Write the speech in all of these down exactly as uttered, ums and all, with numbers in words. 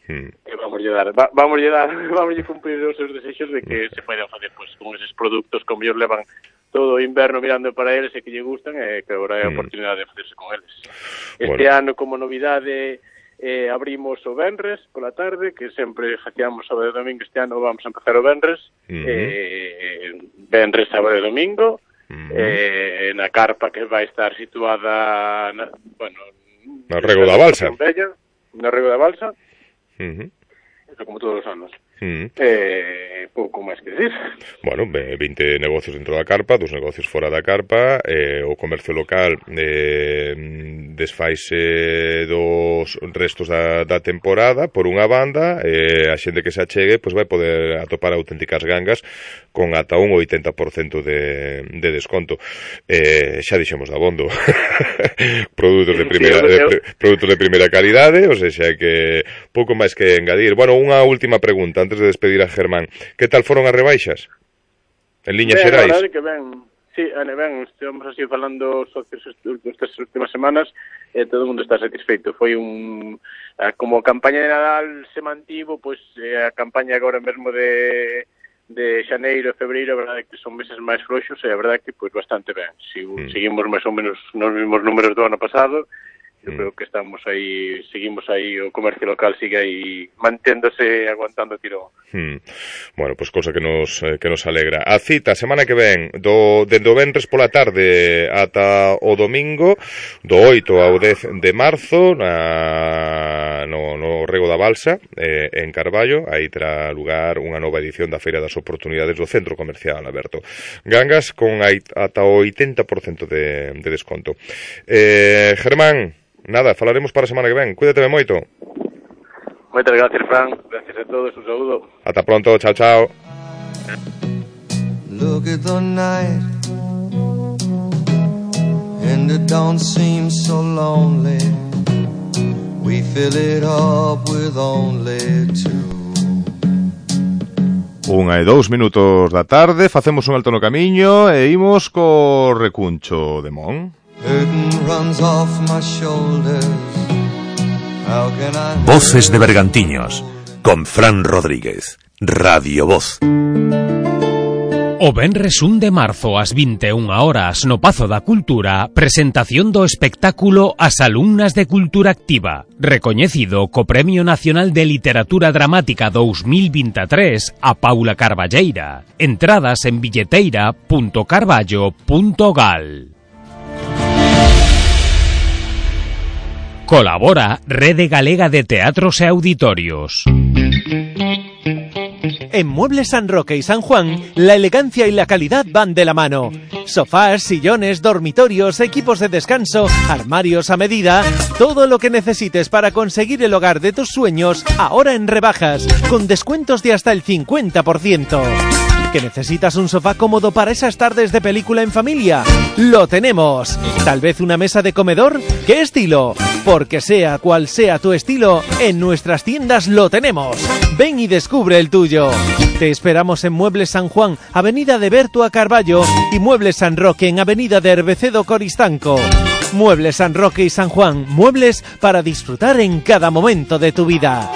mm. que vamos a dar, va, vamos a dar, vamos a cumplir os seus desexos de que se poden facer pues, con eses produtos como ellos levan todo o inverno mirando para eles e que lle gustan e que agora é a oportunidade de facerse con eles. Este bueno. ano, como novidade, eh, abrimos o venres pola tarde, que sempre facíamos sábado e domingo. Este ano vamos a empezar o venres, uh-huh. eh, venres, sábado e domingo, uh-huh. eh, na carpa que vai estar situada na, bueno, no Rego da Balsa. Bella, no Rego da Balsa, uh-huh. eso como todos os anos. Mm. Eh, pouco máis que decir. Bueno, vinte negocios dentro da carpa, dos negocios fora da carpa, eh, o comercio local eh, desfaise dos restos da, da temporada por unha banda, eh, a xente que se achegue pois vai poder atopar auténticas gangas con ata un oitenta por cento de, de desconto. Eh, xa dixemos da abondo produtos de primeira de, de, produtos de primeira calidade, o sea que pouco máis que engadir. Bueno, unha última pregunta antes de despedir a Germán. Que tal foron as rebaixas? En liñas ben, xerais? A verdade que ben, sí, ben, estivemos así falando socios estas últimas semanas e todo o mundo está satisfeito. Foi un... Como a campaña de Nadal se mantivo, pois a campaña agora mesmo de de xaneiro e febreiro, a verdade que son meses máis floxos e a verdade que pois bastante ben. Si, mm. Seguimos máis ou menos nos mesmos números do ano pasado. Eu creo que estamos aí, seguimos aí, o comercio local sigue aí manténdose, aguantando tirón. Hmm. Bueno, pois pues cosa que nos eh, que nos alegra. A cita, semana que ven, do dende o venres pola tarde ata o domingo, do oito ao dez de marzo, na, no, no Rego da Balsa, eh, en Carballo, aí terá lugar unha nova edición da Feira das Oportunidades do Centro Comercial Alberto. Gangas con ata o oitenta por cento de, de desconto. Eh, Germán, nada, falaremos para a semana que ven. Cuídate moito. Moitas gracias, Fran. Gracias a todos, un saúdo. Ata pronto, chao, chao. Look at the night and it don't seem so lonely. We fill it up with only two. Unha e dous minutos da tarde, facemos un alto no camiño e imos co recuncho de Mon. Voces de Bergantiños con Fran Rodríguez, Radio Voz. O venres un de marzo ás vinte e unha horas no Pazo da Cultura, presentación do espectáculo As alumnas de Cultura Activa, recoñecido co Premio Nacional de Literatura Dramática dous mil vinte e tres a Paula Carballeira. Entradas en billeteira punto carballo punto gal. Colabora Rede Galega de Teatros e Auditorios. En Muebles San Roque y San Juan, la elegancia y la calidad van de la mano. Sofás, sillones, dormitorios, equipos de descanso, armarios a medida, todo lo que necesites para conseguir el hogar de tus sueños, ahora en rebajas, con descuentos de hasta el cincuenta por ciento. ¿Que necesitas un sofá cómodo para esas tardes de película en familia? ¡Lo tenemos! ¿Tal vez una mesa de comedor? ¿Qué estilo? Porque sea cual sea tu estilo, en nuestras tiendas lo tenemos. Ven y descubre el tuyo. Te esperamos en Muebles San Juan, Avenida de Bertua Carballo, y Muebles San Roque en Avenida de Herbecedo Coristanco. Muebles San Roque y San Juan, muebles para disfrutar en cada momento de tu vida.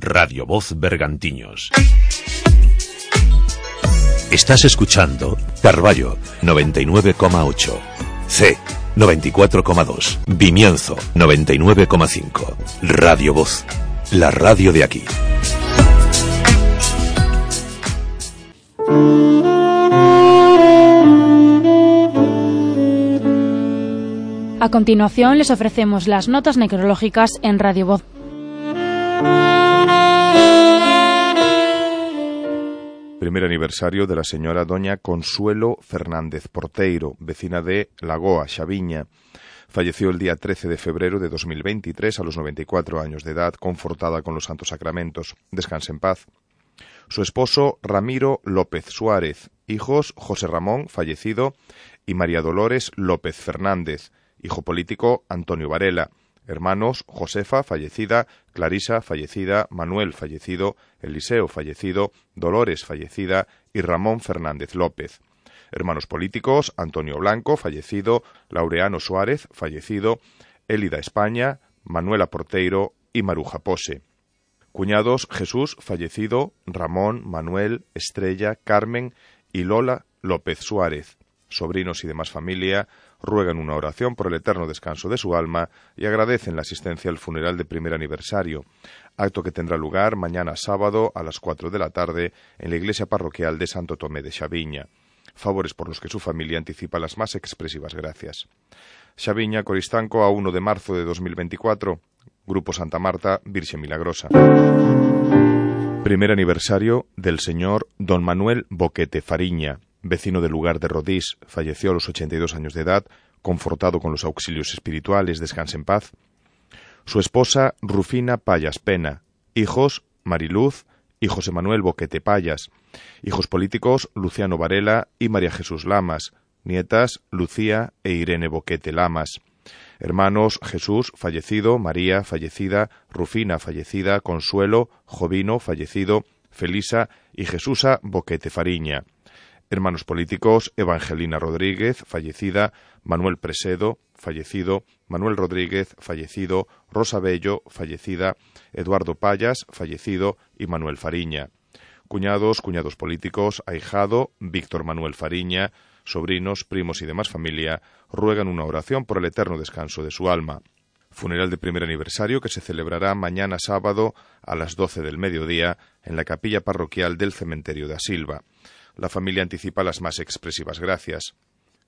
Radio Voz Bergantiños. Estás escuchando Carballo noventa y nueve coma ocho, C noventa y cuatro coma dos, Vimianzo noventa y nueve coma cinco. Radio Voz, la radio de aquí. A continuación les ofrecemos las notas necrológicas en Radio Voz. Primer aniversario de la señora doña Consuelo Fernández Porteiro, vecina de Lagoa, Xaviña. Falleció el día trece de febrero de dos mil veintitrés a los noventa y cuatro años de edad, confortada con los santos sacramentos. Descanse en paz. Su esposo Ramiro López Suárez, hijos José Ramón, fallecido, y María Dolores López Fernández, hijo político Antonio Varela. Hermanos, Josefa, fallecida, Clarisa, fallecida, Manuel, fallecido, Eliseo, fallecido, Dolores, fallecida, y Ramón Fernández López. Hermanos políticos, Antonio Blanco, fallecido, Laureano Suárez, fallecido, Élida España, Manuela Porteiro y Maruja Pose. Cuñados: Jesús, fallecido, Ramón, Manuel, Estrella, Carmen y Lola López Suárez. Sobrinos y demás familia ruegan una oración por el eterno descanso de su alma y agradecen la asistencia al funeral de primer aniversario, acto que tendrá lugar mañana sábado a las cuatro de la tarde en la iglesia parroquial de Santo Tomé de Xaviña. Favores por los que su familia anticipa las más expresivas gracias. Xaviña, Coristanco, a uno de marzo de dos mil veinticuatro. Grupo Santa Marta, Virxe Milagrosa. Primer aniversario del señor don Manuel Boquete Fariña, vecino del lugar de Rodís, falleció a los ochenta y dos años de edad, confortado con los auxilios espirituales, descanse en paz. Su esposa, Rufina Payas Pena. Hijos, Mariluz y José Manuel Boquete Payas. Hijos políticos, Luciano Varela y María Jesús Lamas. Nietas, Lucía e Irene Boquete Lamas. Hermanos: Jesús, fallecido, María, fallecida, Rufina, fallecida, Consuelo, Jovino, fallecido, Felisa y Jesusa Boquete Fariña. Hermanos políticos: Evangelina Rodríguez, fallecida, Manuel Presedo, fallecido, Manuel Rodríguez, fallecido, Rosa Bello, fallecida, Eduardo Payas, fallecido y Manuel Fariña. Cuñados, cuñados políticos: ahijado, Víctor Manuel Fariña. Sobrinos, primos y demás familia ruegan una oración por el eterno descanso de su alma. Funeral de primer aniversario que se celebrará mañana sábado a las doce del mediodía en la capilla parroquial del cementerio de Asilva. La familia anticipa las más expresivas gracias.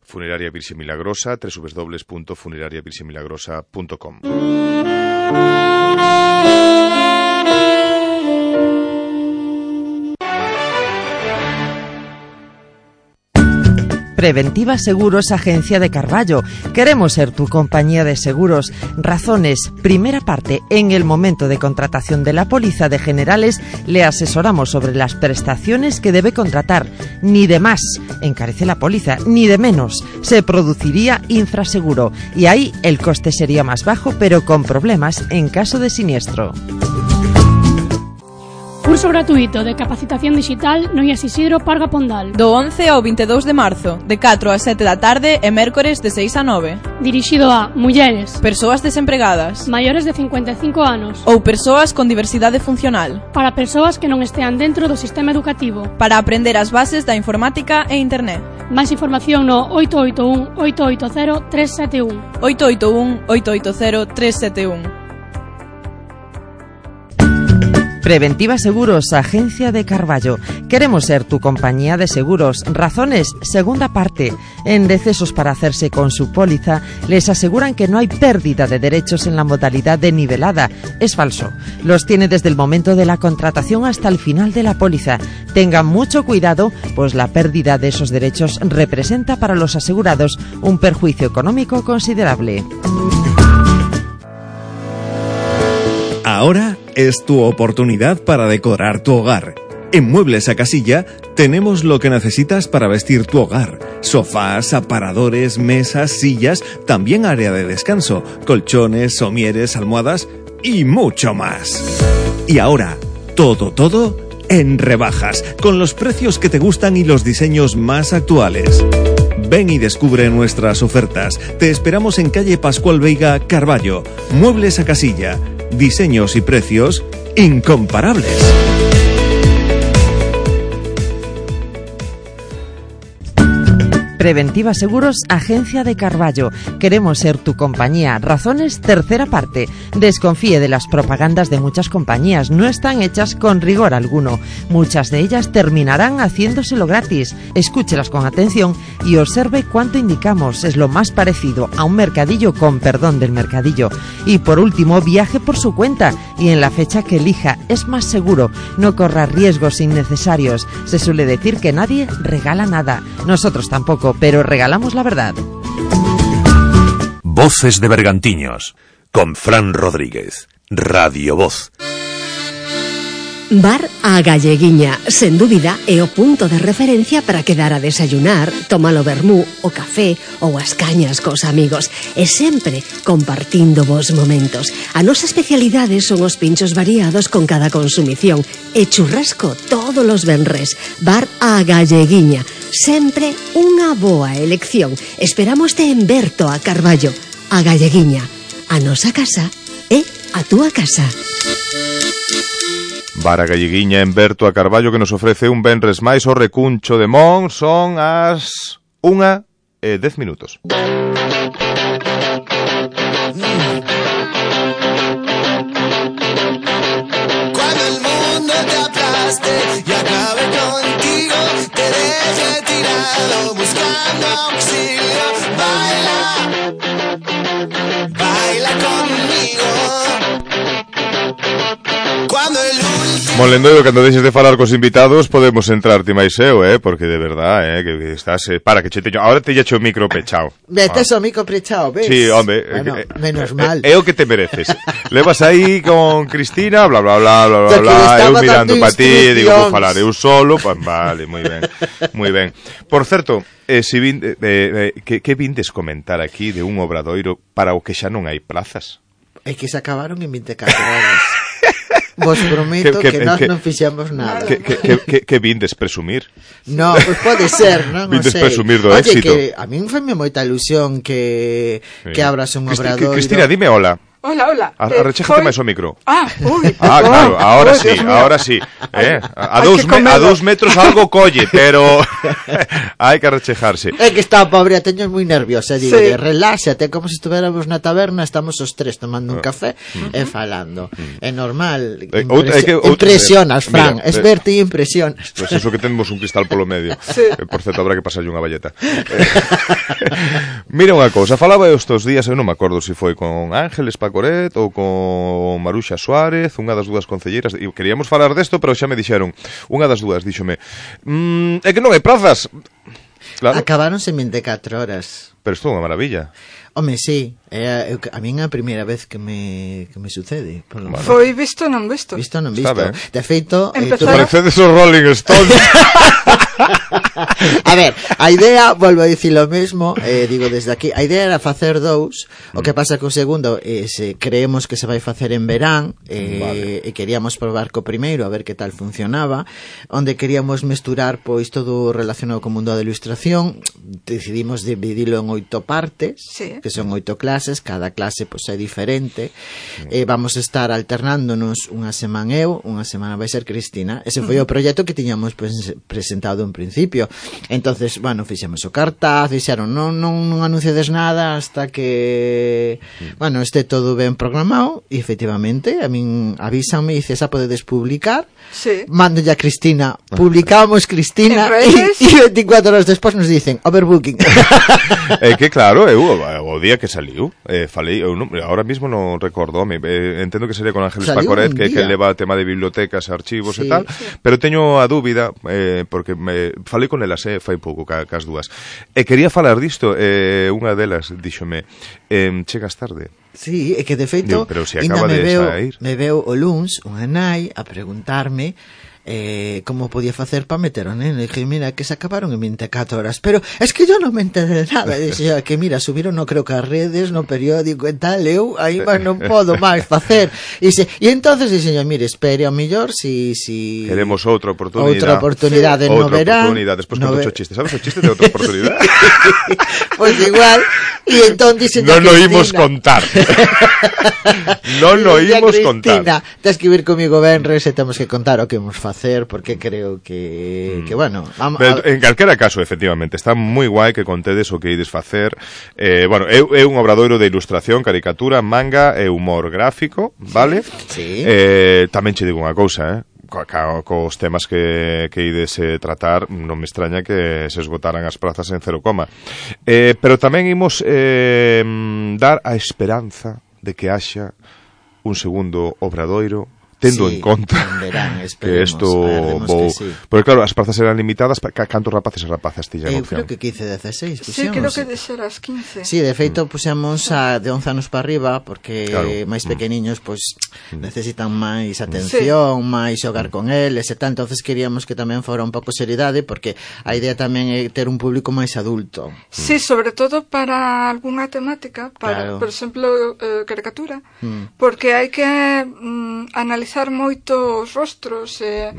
Funeraria Virxe Milagrosa, doble u doble u doble u punto funeraria virxe milagrosa punto com. Preventiva Seguros, Agencia de Carballo. Queremos ser tu compañía de seguros. Razones. Primera parte. En el momento de contratación de la póliza de generales, le asesoramos sobre las prestaciones que debe contratar. Ni de más encarece la póliza, ni de menos. Se produciría infraseguro y ahí el coste sería más bajo, pero con problemas en caso de siniestro. Curso gratuito de capacitación digital no I A S Isidro Parga Pondal. Do once ao vinte e dous de marzo, de catro a sete da tarde e mércores de seis a nove. Dirixido a mulleres, persoas desempregadas, maiores de cincuenta e cinco anos ou persoas con diversidade funcional. Para persoas que non estean dentro do sistema educativo. Para aprender as bases da informática e internet. Máis información no oito oito un, oito oito cero, tres sete un. oito oito un, oito oito cero, tres sete un. Preventiva Seguros, Agencia de Carballo. Queremos ser tu compañía de seguros. Razones. Segunda parte. En decesos para hacerse con su póliza, les aseguran que no hay pérdida de derechos en la modalidad de nivelada. Es falso. Los tiene desde el momento de la contratación hasta el final de la póliza. Tengan mucho cuidado, pues la pérdida de esos derechos representa para los asegurados un perjuicio económico considerable. Ahora es tu oportunidad para decorar tu hogar. En Muebles a Casilla tenemos lo que necesitas para vestir tu hogar. Sofás, aparadores, mesas, sillas, también área de descanso, colchones, somieres, almohadas y mucho más. Y ahora, todo, todo en rebajas, con los precios que te gustan y los diseños más actuales. Ven y descubre nuestras ofertas. Te esperamos en calle Pascual Veiga, Carballo. Muebles a Casilla. Diseños y precios incomparables. Preventiva Seguros, Agencia de Carballo. Queremos ser tu compañía. Razones, tercera parte. Desconfíe de las propagandas de muchas compañías. No están hechas con rigor alguno. Muchas de ellas terminarán haciéndoselo gratis. Escúchelas con atención y observe cuánto indicamos. Es lo más parecido a un mercadillo, con perdón del mercadillo. Y por último, viaje por su cuenta y en la fecha que elija. Es más seguro. No corra riesgos innecesarios. Se suele decir que nadie regala nada. Nosotros tampoco, pero regalamos la verdad. Voces de Bergantiños, con Fran Rodríguez, Radio Voz. Bar a Galleguiña, sen dúbida, é o punto de referencia para quedar a desayunar, tomar o vermú, o café ou as cañas cos amigos, e sempre compartindo vos momentos. A nosa especialidade son os pinchos variados con cada consumición e churrasco todos os venres. Bar a Galleguiña, sempre unha boa elección. Esperamos te en Berto a Carballo. A Galleguiña, a nosa casa a túa casa. Vara Galleguiña en Berto a Carballo que nos ofrece un venres máis o recuncho de Mon. Son as unha e dez minutos. Y acabe contigo, te deje tirado buscando auxilio. Baila, baila conmigo. Cuando el último... Molendoiro, cando deixes de falar cos invitados podemos entrar ti máis eu, eh, porque de verdad, eh, que estás, eh, para que che teño, ahora te echo o micro pechao. Metes ah. o micro pechao, ves? Sí, hombre, bueno, eh, menos eh, mal. É o que te mereces. Levas aí con Cristina, bla, bla, bla, bla, bla, bla, eu mirando pa ti, digo, vou falar eu solo, pues, vale, moi ben, moi ben. Por certo, eh, si vin, eh, eh, que, que vindes comentar aquí de un obradoiro para o que xa non hai plazas? É que se acabaron en vinte e catro horas. Vos prometo que, que, que nós que, non fixemos nada. Que, que, que, que, que vindes presumir? No, pois pues pode ser, non? Vindes sei. presumir do Oye, éxito. Que a min foi moita ilusión que, sí. que abras un Cristi, obradoiro. Cristina, dime hola. Hola, hola. Arrechéjate eh, máis o micro. Ah, uy. Ah, claro, ahora oh, sí, ahora sí. Eh? A, a, dous me, a dous metros algo colle, pero hai que arrechejarse. É que está pobre, a teño moi nerviosa. Digo, sí. reláxate, como se estuviéramos na taberna, estamos os tres tomando un café uh-huh. e falando. É normal. Eh, Impresi que, impresionas, Fran. Mira, es verte e impresionas. Pois pues eso que temos un cristal polo medio. Sí. Eh, por certo, habrá que pasarlle unha valleta. Mira unha cousa, falaba estes días, eu non me acordo se foi con Ángeles Pacoret ou con Maruxa Suárez, unha das dúas concelleiras, e queríamos falar desto, pero xa me dixeron, unha das dúas díxome, mmm, é que non hai prazas. Claro. Acabaronse en vinte e catro horas. Pero isto é unha maravilla. Home, sí, é, eu, a min é a primeira vez que me, que me sucede. Por bueno. Foi visto non visto. Visto non visto. De feito... Empezar... Eh, parecedes os Rolling Stones. A ver, a idea, volvo a dicir lo mesmo, eh, digo desde aquí, a idea era facer dous, mm. o que pasa que o segundo eh, se, creemos que se vai facer en verán, eh, vale. e queríamos probar co primeiro a ver que tal funcionaba, onde queríamos mesturar pois todo relacionado co mundo da ilustración. Decidimos dividilo en oito partes, sí. que son oito clases, cada clase pois é diferente, mm. eh, vamos a estar alternándonos unha semana eu, unha semana vai ser Cristina. Ese foi mm. o proxecto que tiñamos pues, presentado en principio. Entonces, bueno, fixemos o cartaz, fixeron, non, non, non anunciades nada hasta que, mm. bueno, este todo ben programado, e efectivamente, a min avísanme e dice, xa podedes publicar, sí. mando ya a Cristina, publicamos Cristina, e veinticuatro horas despois nos dicen, overbooking. É que claro, eu, o día que saliu, eh, falei, eu non, ahora mismo non recordo, me, eh, entendo que sería con Ángeles saliu Pacoret, que, que leva tema de bibliotecas, archivos sí. e tal, sí. pero teño a dúbida, eh, porque me falei con elas, eh, fai pouco, ca, cas dúas, e quería falar disto, eh, unha delas díxome, eh, chegas tarde. Sí, é que de feito, Digo, pero se acaba de veo, sair. Me veo o luns unha nai a preguntarme eh, como podía facer para meter o neno. E dije, mira, que se acabaron en vinte e catro horas, pero es que yo non me enteré de nada. E dije, que mira, subiron no creo que as redes, no periódico e tal, eu aí máis non podo máis facer. E se, e entonces dije, mire, espere ao mellor si, si queremos outra oportunidade. Outra oportunidade sí. no outra verán. Oportunidade, despois no conto o chiste, sabes o chiste de outra oportunidade? Pois pues igual, e entón dice non lo imos contar. non lo imos contar. Tens que vir comigo venres e temos que contar o que imos facer, porque creo que, mm. que bueno... Vamos, Pero, en calquera caso, efectivamente, está moi guai que contedes o que ides facer. Eh, bueno, é, é un obradoiro de ilustración, caricatura, manga e humor gráfico, vale? Sí. Eh, tamén che digo unha cousa, eh? Co, cos temas que, que ides eh, tratar, non me extraña que se esgotaran as prazas en cero coma. Eh, pero tamén imos eh, dar a esperanza de que haxa un segundo obradoiro tendo sí, en conta verán, que isto vou... Sí. Porque claro, as prazas eran limitadas, cantos rapaces e rapazas ti Eu creo que quince, dezasseis puxemos. Sí, creo que de ser as quince. Sí, de feito puxemos a de once anos para arriba, porque claro. máis pequeniños pois mm. necesitan máis atención, sí. máis xogar con eles e tal, entonces queríamos que tamén fora un pouco seriedade, porque a idea tamén é ter un público máis adulto. Sí, sobre todo para algunha temática, para, claro. por exemplo, eh, caricatura, mm. porque hai que mm, analizar moitos rostros e,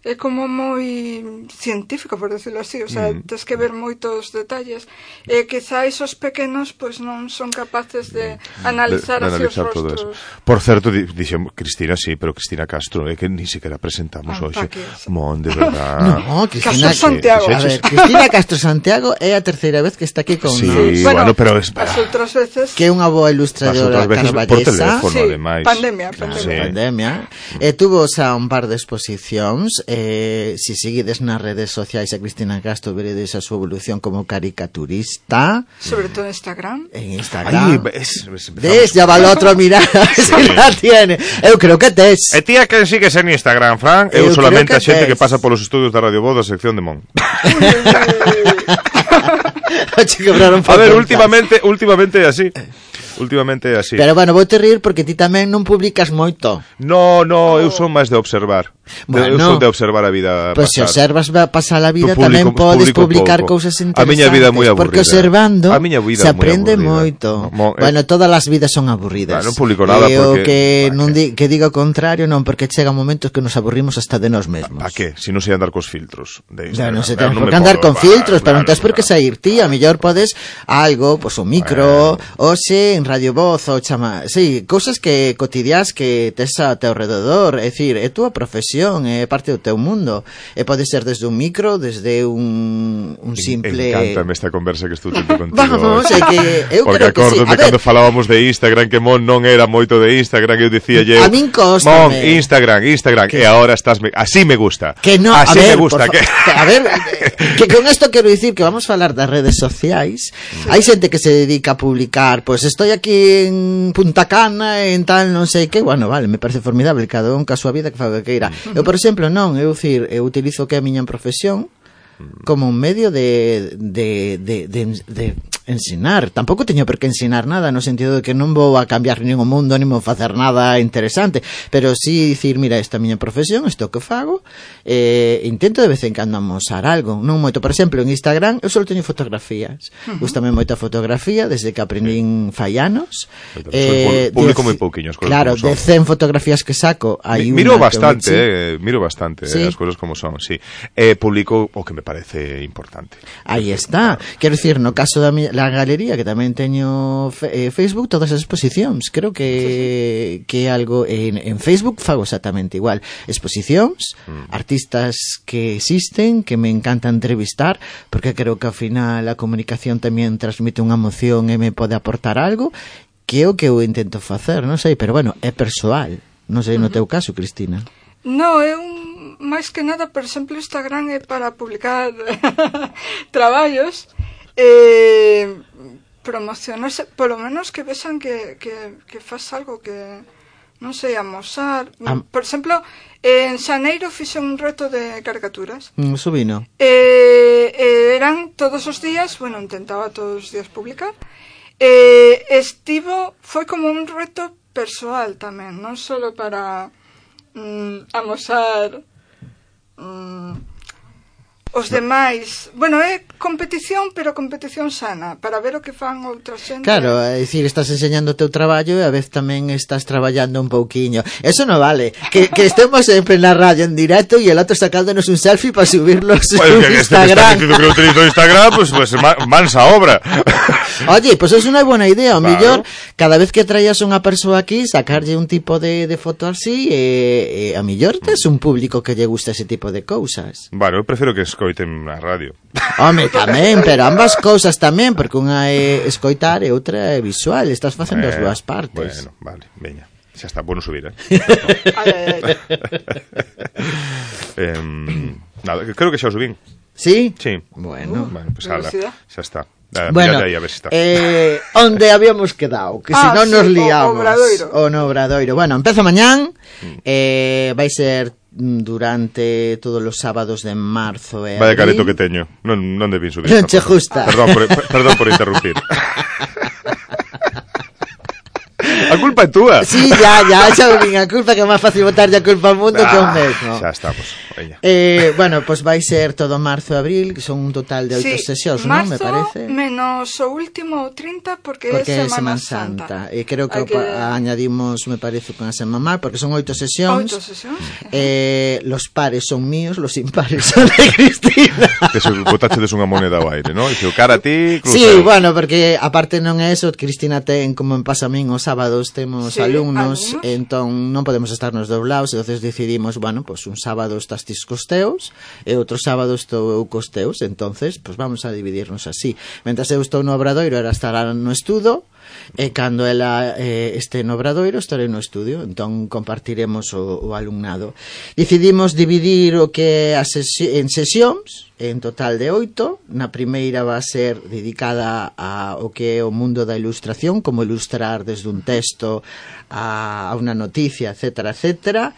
é como moi científico, por decirlo así, o sea, mm. tens que ver moitos detalles, e quizáis os pequenos pois non son capaces de analizar, de, de así analizar os todo rostros. Eso. Por certo, dixemos Cristina, sí, pero Cristina Castro, é eh, que ni siquiera presentamos ah, hoxe. Mon, de verdad. No, Cristina Castro Santiago. A ver, Cristina Castro Santiago é a terceira vez que está aquí con sí, nós. Sí, bueno, bueno, pero es as outras veces que é unha boa ilustradora carballesa. Por teléfono, sí, ademais. Pandemia, pandemia. Sí. pandemia. E tuvo xa un par de exposicións. Eh, si seguides nas redes sociais a Cristina Castro, veredes a súa evolución como caricaturista. Sobre todo en Instagram. En Instagram. Ay, ves, ves, ves, ya va el otro a mirar sí. si la tiene. Eu creo que tes. E tía que sigues en Instagram, Fran? Eu, Eu solamente a xente tes. que pasa polos estudios da Radio Voz da sección de Mon. A ver, últimamente, últimamente é así. Últimamente é así. Pero bueno, vou te rir porque ti tamén non publicas moito. No, no, eu son máis de observar. Bueno, eu son de observar a vida pues pasar. Se observas pasar a vida tamén podes publicar pouco. cousas interesantes. A miña vida é moi aburrida. Porque observando a miña vida se aprende moito. Mo, eh, bueno, todas as vidas son aburridas. Non publico nada e porque... O que, non di, que diga o contrario, non, porque chega momentos que nos aburrimos hasta de nós mesmos. Pa que? Si non sei andar cos filtros de No, non Instagram. se ten por que andar con filtros, pero non tens por que sair ti. A mellor podes algo, pois pues, un micro, ou se en Radio Voz, ou chama, sí, cousas que cotidiás que tes a teu rededor, é dicir, é túa profesión, é parte do teu mundo, e pode ser desde un micro, desde un, un simple... Encántame esta conversa que estou tendo contigo. Vamos, é que eu porque creo que sí. Porque cando falábamos de Instagram, que Mon non era moito de Instagram, eu dicía eu, a min cóstame. Mon, Instagram, Instagram, que... e agora estás... Me... Así me gusta. Que no, así a ver, me gusta. Que... a ver, que con esto quero dicir que vamos a falar das redes sociais. Sí. Hai xente que se dedica a publicar, pois pues estoy aquí en Punta Cana, en tal, non sei que, bueno, vale, me parece formidable, cada un ca súa vida que faga que queira. Eu, por exemplo, non, eu dicir, eu utilizo que a miña profesión como un medio de de, de, de, de ensinar. Tampouco teño por que ensinar nada, no sentido de que non vou a cambiar nin o mundo, nin vou facer nada interesante, pero sí dicir, mira, esta é a miña profesión, isto que fago, eh, intento de vez en cando amosar algo, non moito. Por exemplo, en Instagram eu só teño fotografías, uh-huh. Gústame moita fotografía desde que aprendín fai anos. Eh, publico moi pouquiños, claro, de cen fotografías que saco hai Mi, miro unha bastante, eh, miro bastante ¿Sí? eh, as cousas como son, sí. Eh, publico o que me parece importante. Aí está. Quero dicir, no caso da miña, la galería, que tamén teño fe, eh, Facebook, todas as exposicións. Creo que que algo en, en Facebook fago exactamente igual. Exposicións, mm. artistas que existen, que me encanta entrevistar, porque creo que ao final a comunicación tamén transmite unha emoción e me pode aportar algo, que é o que eu intento facer, non sei, pero bueno, é persoal. Non sei no teu caso, Cristina. No, é un máis que nada, por exemplo, Instagram é para publicar traballos, eh, promocionarse, polo menos que vexan que, que, que faz algo que, non sei, amosar. Am... Por exemplo, en xaneiro fixe un reto de caricaturas. Mm, subino. Eh, eh, eran todos os días, bueno, intentaba todos os días publicar. Eh, estivo, foi como un reto persoal tamén, non só para mm, amosar mm, os demais. Bueno, é competición, pero competición sana, para ver o que fan outra xente. Claro, é dicir, estás enseñando o teu traballo e a vez tamén estás traballando un pouquiño. Eso non vale. Que, que estemos sempre na radio en directo e el outro sacándonos un selfie para subirlos bueno, en Instagram. Este que que utilizo Instagram, pues, pues mansa obra. Oye, pues es unha buena idea. O claro. Millor, cada vez que traías unha persoa aquí, sacarlle un tipo de, de foto así, e, e a millor tes un público que lle gusta ese tipo de cousas. Bueno, eu prefiro que escoiten na radio. Home, tamén, pero ambas cousas tamén, porque unha é escoitar e outra é visual. Estás facendo eh, as dúas partes. Bueno, vale, veña. Xa está, bueno subir, eh? eh nada, creo que xa o subín. ¿Sí? Sí. Bueno, bueno pues ala, xa está. Ah, bueno, ahí, a ver si está. Eh, onde habíamos quedado, que ah, si non sí, nos liamos. O Obradoiro. O no Obradoiro. Bueno, empezo mañán, eh, vai ser durante todos os sábados de marzo e Vaya careto que teño. Non, non debín subir. Non che justa. Perdón por, perdón por interrumpir. A culpa é túa. Sí, ya, ya, xa vin a culpa, que é máis fácil botarlle a culpa ao mundo ah, que ao mesmo. Xa estamos, veña. Eh, bueno, pois pues vai ser todo marzo e abril, que son un total de oito sí, sesións, non? Me parece. Menos o último trinta porque, porque é Semana Semana Santa. Santa. E creo que, que... añadimos, me parece, con a Semana Mar, porque son oito sesións. Oito sesións. Eh, los pares son míos, los impares son de Cristina. Que se botache des unha moneda ao aire, non? E se o cara a ti, cruzado. Sí, bueno, porque aparte non é eso, Cristina ten, como en pasa a min, os sábados temos sí, alumnos, alumnos, entón non podemos estar nos doblados, entonces decidimos, bueno, pues un sábado estás tis costeos e outro sábado estou eu costeos, entonces, pues vamos a dividirnos así. Mentras eu estou no Obradoiro, era estar no estudo, e cando ela eh, este no Obradoiro estarei no estudio, entón compartiremos o, o alumnado. Decidimos dividir o que a sesi en sesións, en total de oito. Na primeira va a ser dedicada a o que é o mundo da ilustración, como ilustrar desde un texto a, a unha noticia, etcétera, etcétera.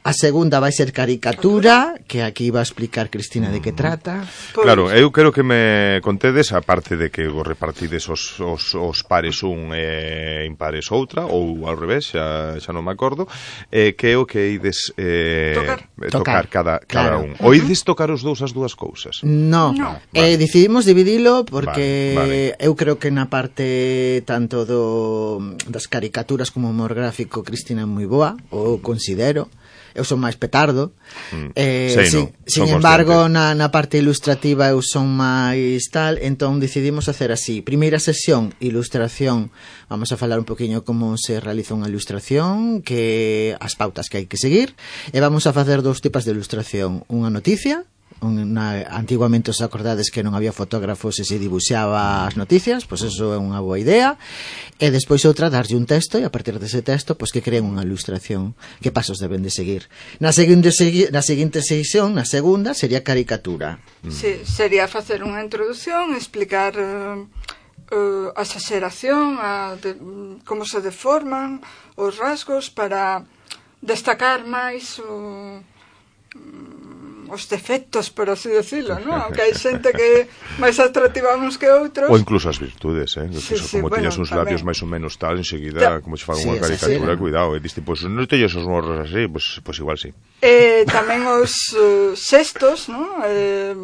A segunda vai ser caricatura, que aquí va a explicar Cristina de que trata. Claro, eu quero que me contedes, aparte de que vos repartides os, os, os pares un e impares outra, ou ao revés, xa, xa non me acordo, eh, que é o que ides eh, tocar. tocar, tocar cada, cada claro. un. O ides tocar os dous as dúas cousas? No, no. Eh, vale. Decidimos dividilo porque vale, vale. eu creo que na parte tanto do, das caricaturas como o humor gráfico Cristina é moi boa, ou considero. Eu son máis petardo, mm. eh, Sei, sin, no, sin embargo na, na parte ilustrativa eu son máis tal, entón decidimos hacer así. Primeira sesión, ilustración, vamos a falar un poquinho como se realiza unha ilustración, que as pautas que hai que seguir, e vamos a facer dous tipos de ilustración, unha noticia, Una, antiguamente os acordades que non había fotógrafos e se dibuixaba as noticias, pois eso é unha boa idea, e despois outra darlle un texto e a partir dese texto pois que creen unha ilustración, que pasos deben de seguir. Na seguinte, na seguinte sesión, na segunda, sería caricatura. Sí, sería facer unha introdución, explicar uh, uh, a exageración, a de, como se deforman os rasgos para destacar máis o os defectos, por así decirlo, ¿no? Aunque hai xente que máis atractiva uns que outros. Ou incluso as virtudes, eh? Sí, sí, como bueno, tiñas uns labios máis ou menos tal, enseguida, ya. como se fan sí, unha caricatura, sí, cuidado, e diste, pois, pues, non teñes os morros así, pois pues, pues igual sí. Eh, tamén os uh, xestos, ¿no? Eh,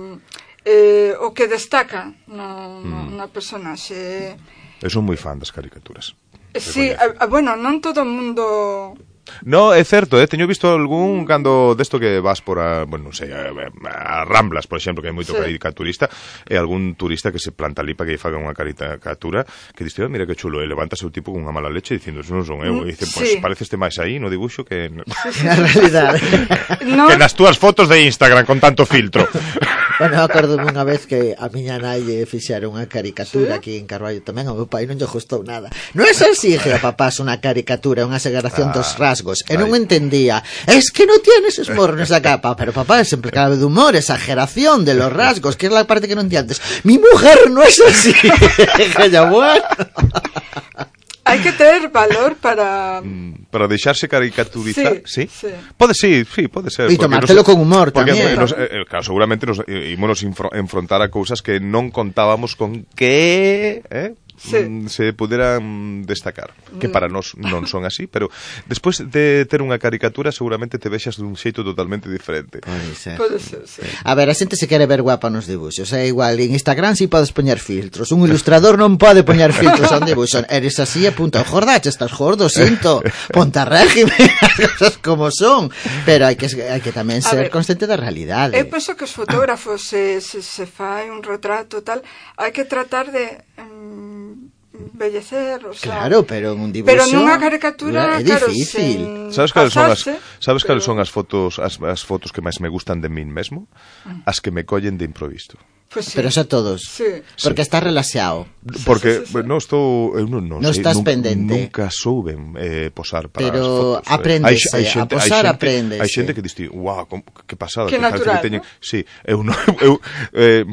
eh, o que destaca no, no, mm. na personaxe. Eu son moi fan das caricaturas. Sí, a, a, bueno, non todo o mundo... No, é certo, eh? Teño visto algún cando desto que vas por a, bueno, non sei, a, a Ramblas, por exemplo, que hai moito sí. caricaturista, e algún turista que se planta ali para que lle faga unha caricatura, que dice, oh, mira que chulo, e levántase o tipo con unha mala leche dicindo, eso non son eu, e dice, pois, pues, sí. pareceste máis aí no dibuixo que... Sí, sí, na realidade. No. Que nas túas fotos de Instagram con tanto filtro. Bueno, acordo unha vez que a miña nai fixera unha caricatura ¿sí? aquí en Carballo tamén, ao meu pai non lle gustou nada. Non é así, que a papás unha caricatura, unha exageración ah. dos rasgos, e non entendía, es que no tienes esmorro nesa capa, pero papá es siempre clave de humor, exageración de los rasgos, que es la parte que no entiendes. Mi mujer no es así. Ya bueno. Hai que ter valor para... Para deixarse caricaturizar, sí, ¿sí? sí. Pode, sí, sí, pode ser. E tomártelo nos, con humor porque tamén. Nos, eh, claro, seguramente nos ímonos enfrontar a cousas que non contábamos con que... Eh? Sí. se puderan destacar, que para nós non son así, pero despois de ter unha caricatura seguramente te vexas dun xeito totalmente diferente. Pode ser. Pode ser, sí. A ver, a xente se quere ver guapa nos dibuxos, é igual, en Instagram si podes poñer filtros, un ilustrador non pode poñer filtros a un dibuxo, eres así e punto, jordache, estás gordo, sinto, ponta régimen, as cosas como son, pero hai que, hai que tamén ser consciente da realidade. Eu penso que os fotógrafos se, se, se fai un retrato tal, hai que tratar de... Um, embellecer, o sea, claro, pero en un dibuixo pero nunha caricatura é difícil. Claro, sabes cales son as sabes pero... cales son as fotos as, as fotos que máis me gustan de min mesmo? As que me collen de improviso. Pues sí. Pero xa todos. Sí. Porque sí. está relaxado. Porque sí, sí, sí. non estou, eu non, non, non sei, estás nunca, pendente. Nunca souben eh, posar para pero as fotos. Pero apréndese, hai, hai xente, a posar apréndese. Hai xente que diste, "Guau, wow, que pasada, que, que natural, que teñen." ¿no? Sí, eu non eu eh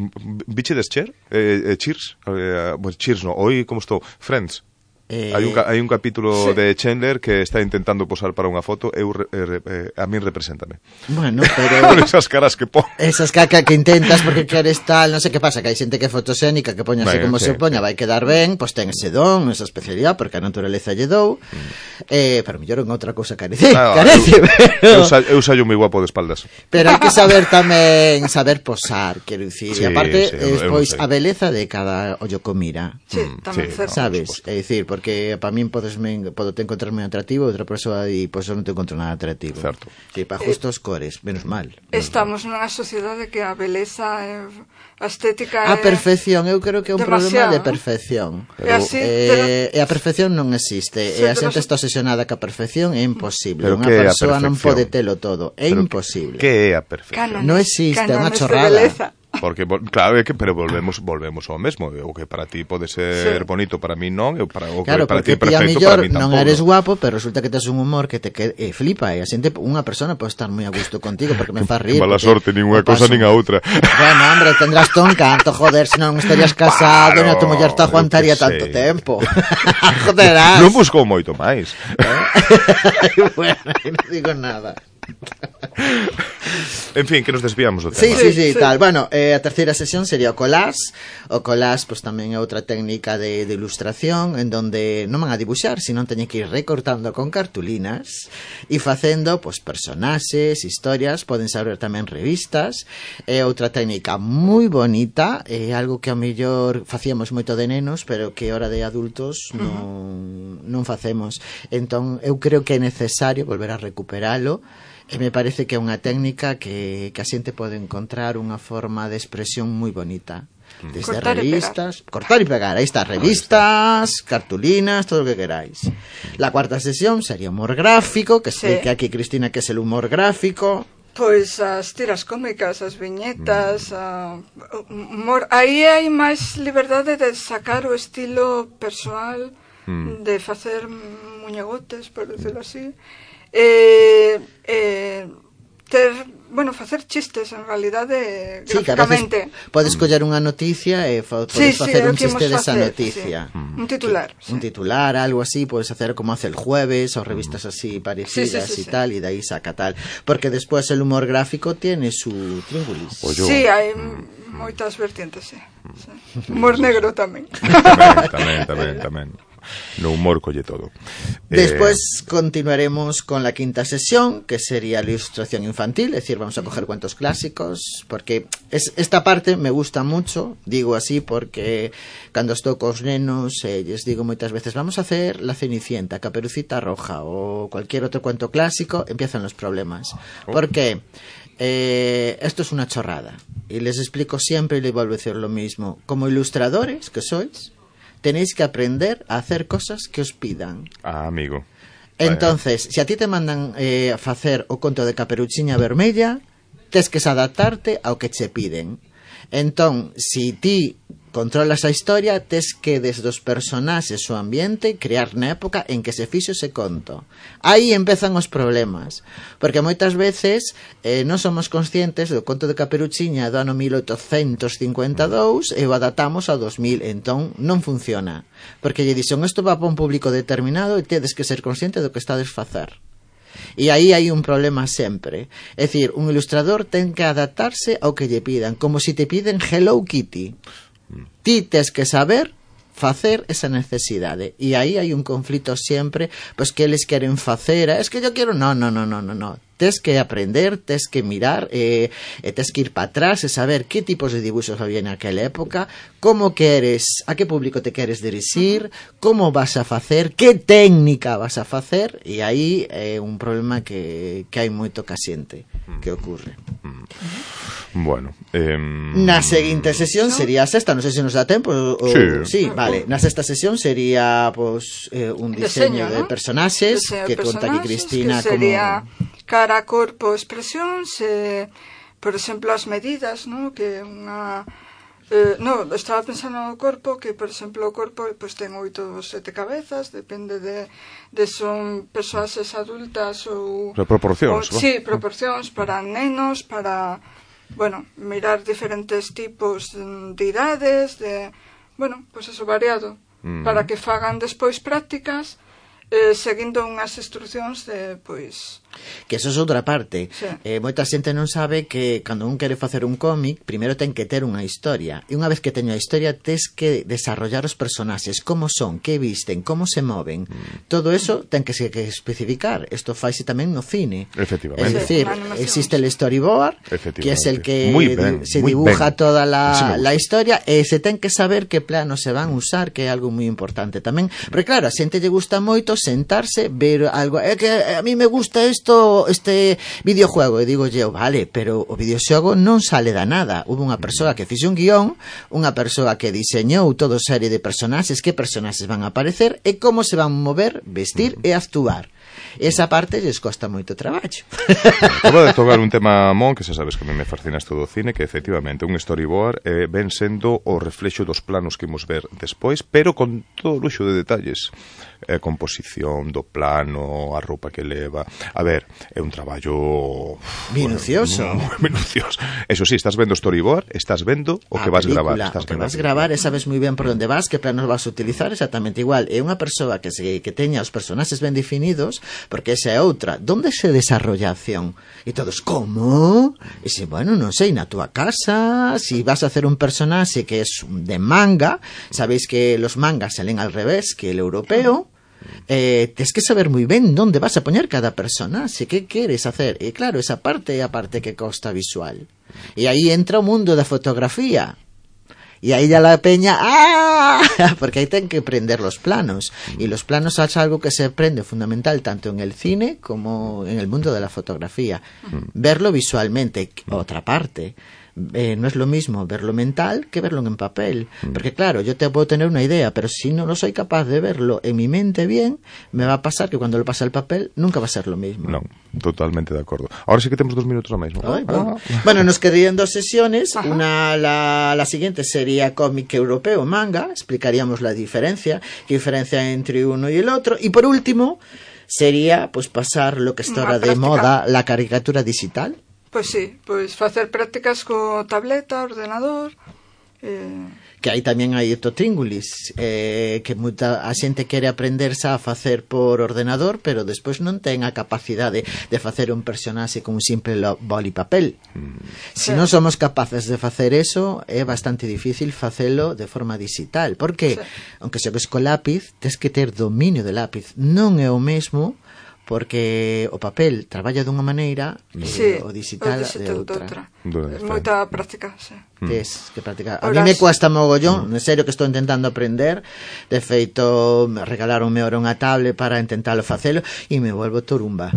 biche des Cher, eh, eh Cheers, eh, well, Cheers no, hoy como estou, Friends. Eh, hai, un, hai un capítulo sí. de Chandler que está intentando posar para unha foto, eu, eh, eh, a min represéntame. Bueno, pero... Con esas caras que pon. Esas caras que intentas porque queres tal, non sei que pasa, que hai xente que é fotosénica, que poñase Bueno, como sí, se poña, sí. vai quedar ben, pois ten ese don, esa especialidade, porque a naturaleza lle dou, mm. eh, pero mellor en outra cousa carece, Ah, carece, eu, pero... eu, sa, eu saio moi guapo de espaldas. Pero hai que saber tamén, saber posar, quero dicir, Sí, e aparte, sí, eh, eu pois, non sei. a beleza de cada ollo co mira. Sí, tamén sí, certo. Sabes? É dicir, porque para min podesme, podo te encontrar moi atractivo, outra persoa e pois eu non te encontro nada atractivo. Certo. Sí, para justos cores, menos mal. Estamos nunha sociedade que a beleza é, a estética A é perfección, eu creo que é un demasiado, problema de ¿no? perfección. E así, eh, e a perfección non existe, Sí, e a pero xente so- está obsesionada ca perfección, é imposible. Pero Unha que é a persoa non perfección? pode telo todo, é Pero imposible. Que é a perfección? Cánones, Non existe, é unha cánones de chorrada. beleza. Porque, claro, é que, pero volvemos volvemos ao mesmo. O que para ti pode ser Sí. bonito, para mí non. E para, o que Claro, para ti porque é ti a perfecto, mellor para mí tampouco. non eres guapo, pero resulta que tes un humor que te que, eh, flipa, e a xente, unha persona pode estar moi a gusto contigo porque me faz rir. Que mala porque sorte, nin unha o cosa paso- nin a outra. Bueno, hombre, tendrás ton canto, joder, se non estarías casado, Claro, e a tu muller te aguantaría eu que tanto sei. tempo. Joderás. Non buscou moito máis. Bueno, non digo nada. En fin, que nos desviamos do Sí, tema. sí, sí, tal. Bueno, eh, a terceira sesión sería o collage. O collage, pues tamén é outra técnica de, de ilustración en donde non van a dibuixar, sino teñen que ir recortando con cartulinas e facendo, pues, personaxes, historias, poden saber tamén revistas. É outra técnica moi bonita, é algo que a mellor facíamos moito de nenos, pero que hora de adultos non, non facemos. Entón, eu creo que é necesario volver a recuperalo. E me parece que é unha técnica que, que a xente pode encontrar unha forma de expresión moi bonita. Desde Cortar e revistas, cortar e pegar, aí está, revistas, cartulinas, todo o que queráis. La cuarta sesión sería humor gráfico, que Sí. explique aquí Cristina que é el humor gráfico. Pois as tiras cómicas, as viñetas, a, humor. Aí hai máis liberdade de sacar o estilo persoal, Mm. de facer muñegotes, por decirlo así. Eh, eh, ter, bueno, facer chistes en realidade Sí, que a veces gráficamente. podes coller unha noticia e fa, Sí, podes sí, facer é o un que chiste imos desa facer, noticia. sí. Un titular, sí. Un titular, algo así, podes hacer como hace el Jueves o revistas así parecidas Sí, sí, sí, y sí. tal, y de ahí saca tal. Porque después el humor gráfico tiene su tríngulis. Sí, hai moitas vertientes, sí. sí. Humor negro tamén. Tamén, tamén, tamén, tamén. No humor colle todo. Después eh... continuaremos con la quinta sesión, que sería la ilustración infantil, es decir, vamos a coger cuentos clásicos, porque es, esta parte me gusta mucho, digo así, porque cando estou cos nenos, eh, les digo moitas veces, vamos a hacer La Cenicienta, Caperucita Roja, o cualquier otro cuento clásico, empiezan los problemas. ¿Por qué? Eh, esto es una chorrada, y les explico siempre y les vuelvo a decir lo mismo. Como ilustradores que sois, tenéis que aprender a hacer cosas que os pidan. Ah, amigo. Entonces, se si a ti te mandan eh, a facer o conto de Caperuchiña Vermella, tes que adaptarte ao que che piden. Entón, si ti controlas a historia, tes que desde os personaxes o ambiente crear na época en que se fixo ese conto. Aí empezan os problemas, porque moitas veces eh, non somos conscientes do conto de Caperuchiña do ano mil oitocentos cincuenta e dous e o adaptamos ao dos mil, entón non funciona, porque lle dixen isto va para un público determinado e tedes que ser consciente do que estades facer. E aí hai un problema sempre. É dicir, un ilustrador ten que adaptarse ao que lle pidan, como se si te piden Hello Kitty. Ti tes que saber facer esa necesidade. E aí hai un conflito sempre, pois que eles queren facer, es que yo quero, no, no, no, no, no, no. Tes que aprender, tes que mirar, e, e tes que ir para atrás e saber que tipos de dibuixos había naquela época, como queres, a que público te queres dirixir, como vas a facer, que técnica vas a facer, e aí é un problema que, que hai moito ca xente que ocurre. Bueno, eh... na seguinte sesión sería a sexta, non sei se nos dá tempo o... Sí. sí, vale, na sexta sesión sería pues, eh, un diseño, Diseño, de ¿no? personaxes Diseño que de conta aquí personaxes, Cristina que sería como... cara, corpo, expresión, se, por exemplo, as medidas, ¿no? Que unha eh, no, estaba pensando no corpo, que por exemplo o corpo pues, ten oito ou sete cabezas, depende de, de son persoaxes adultas ou... Pero proporcións, ou, sí, proporcións para nenos, para, bueno, mirar diferentes tipos de idades, de, bueno, pues eso, variado. mm. para que fagan despois prácticas eh, seguindo unhas instruccións de, pois... Que eso é outra parte. Sí. Eh, moita xente non sabe que cando un quere facer un cómic, primeiro ten que ter unha historia. E unha vez que teño a historia, tes que desarrollar os personaxes, como son, que visten, como se moven. Mm. Todo eso ten que se que especificar. Isto faise tamén no cine. Efectivamente. Es decir, sí, existe el storyboard, que es el que ben, se dibuja ben. toda la, la historia, e se ten que saber que planos se van a usar, que é algo moi importante tamén. Porque claro, a xente lle gusta moito sentarse, ver algo, é que a mí me gusta isto este videojuego, e digo eu, vale, pero o videoxogo non sale da nada. Hubo unha persoa que fixe un guión, unha persoa que diseñou toda serie de personaxes, que personaxes van a aparecer e como se van mover, vestir e actuar. Esa parte lles costa moito traballo. Acaba de tocar un tema, Mon, que xa sabes que me fascina isto do cine, que efectivamente un storyboard eh, ven sendo o reflexo dos planos que imos ver despois, pero con todo o luxo de detalles. A composición do plano, a roupa que leva. A ver, é un traballo minucioso. Bueno, moi minucioso. Eso sí, estás vendo storyboard, estás vendo o que vas película, gravar, estás o que vas gravar e sabes moi ben por onde vas, que planos vas a utilizar, exactamente igual. É unha persoa que se que teña os personaxes ben definidos, porque esa é outra. Donde se desarrolla a acción? E todos, como? E se, bueno, non sei, na túa casa, si vas a hacer un personaxe que é de manga, sabéis que los mangas salen al revés que el europeo. Eh, tens que saber moi ben onde vas a poñer cada personaxe, que queres hacer. E claro, esa parte é a parte que costa visual. E aí entra o mundo da fotografía. E aí ya la peña, ¡ah! Porque aí ten que prender los planos. Y los planos es algo que se aprende fundamental tanto en el cine como en el mundo de la fotografía. Verlo visualmente, otra parte. Eh, no es lo mismo verlo mental que verlo en papel, porque claro, yo te puedo tener una idea, pero si no lo soy capaz de verlo en mi mente bien, me va a pasar que cuando lo pase al papel nunca va a ser lo mismo. No, totalmente de acuerdo. Ahora sí que tenemos dos minutos ahora mismo. Ay, bueno. Ah. Bueno, nos quedarían dos sesiones. Ajá. Una, la, la siguiente sería cómic europeo, manga, explicaríamos la diferencia, qué diferencia entre uno y el otro, y por último sería pues pasar lo que está ahora de moda, la caricatura digital. Pois sí, pois facer prácticas co tableta, ordenador... Eh... Que aí tamén hai totríngulis, eh, que moita a xente quere aprenderse a facer por ordenador, pero despois non ten a capacidade de facer un personaxe con un simple boli papel. Mm. Se sí. non somos capaces de facer eso, é bastante difícil facelo de forma digital, porque, sí. aunque xogues co lápiz, tes que ter dominio de lápiz. Non é o mesmo... porque o papel traballa dunha maneira e sí, o digital de outra. Moita práctica, sí. Tes que practicar. A mí me cuesta mogollón, en serio que estou intentando aprender. De feito, me regalaronme ahora unha tablet para intentalo facelo e me volvo turumba.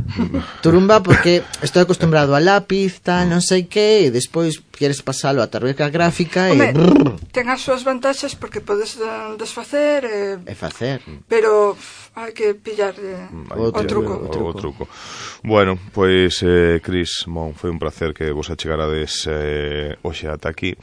Turumba porque estou acostumbrado a lápiz, tal, non sei que, e despois queres pasalo a tarjeta gráfica e... Home, ten as súas vantaxes porque podes desfacer e... E facer. Pero hai que pillar eh, o, o truco. O, o truco. Bueno, pois, eh, Cris, Mon, foi un placer que vos achegarades eh, hoxe ata aquí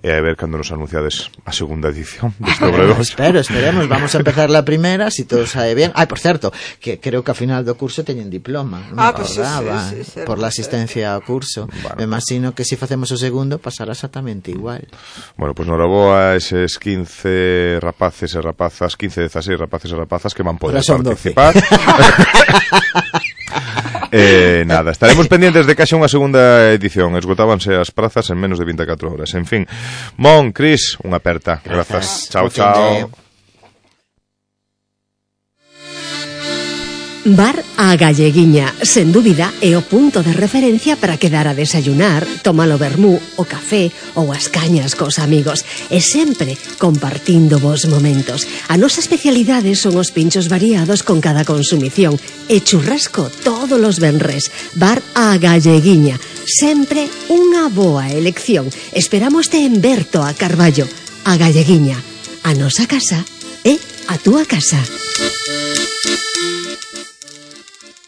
e a ver cando nos anunciades a segunda edición deste Obradoiro. Espero, esperemos, vamos a empezar la primera, si todo sabe bien. Ai, por certo, que creo que ao final do curso teñen diploma, non ah, me pues acordaba, sí, sí, sí, por la asistencia ao curso. Bueno. Me imagino que se si facemos o segundo pasará exactamente igual. Bueno, pois pues noraboa a eses quince rapaces e rapazas, quince, dezaseis rapaces e rapazas que van poder participar. Eh, nada, estaremos pendientes de que haxa unha segunda edición. Esgotábanse as prazas en menos de vinte e catro horas. En fin, Mon, Cris, unha aperta. Grazas. Chao, chao. Bar A Galleguiña, sen dúbida, é o punto de referencia para quedar a desayunar, tomar o vermú, o café ou as cañas cos amigos, e sempre compartindo vos momentos. A nosa especialidade son os pinchos variados con cada consumición e churrasco todos os venres. Bar A Galleguiña, sempre unha boa elección. Esperamos te en Berto a Carballo. A Galleguiña, a nosa casa é a túa casa.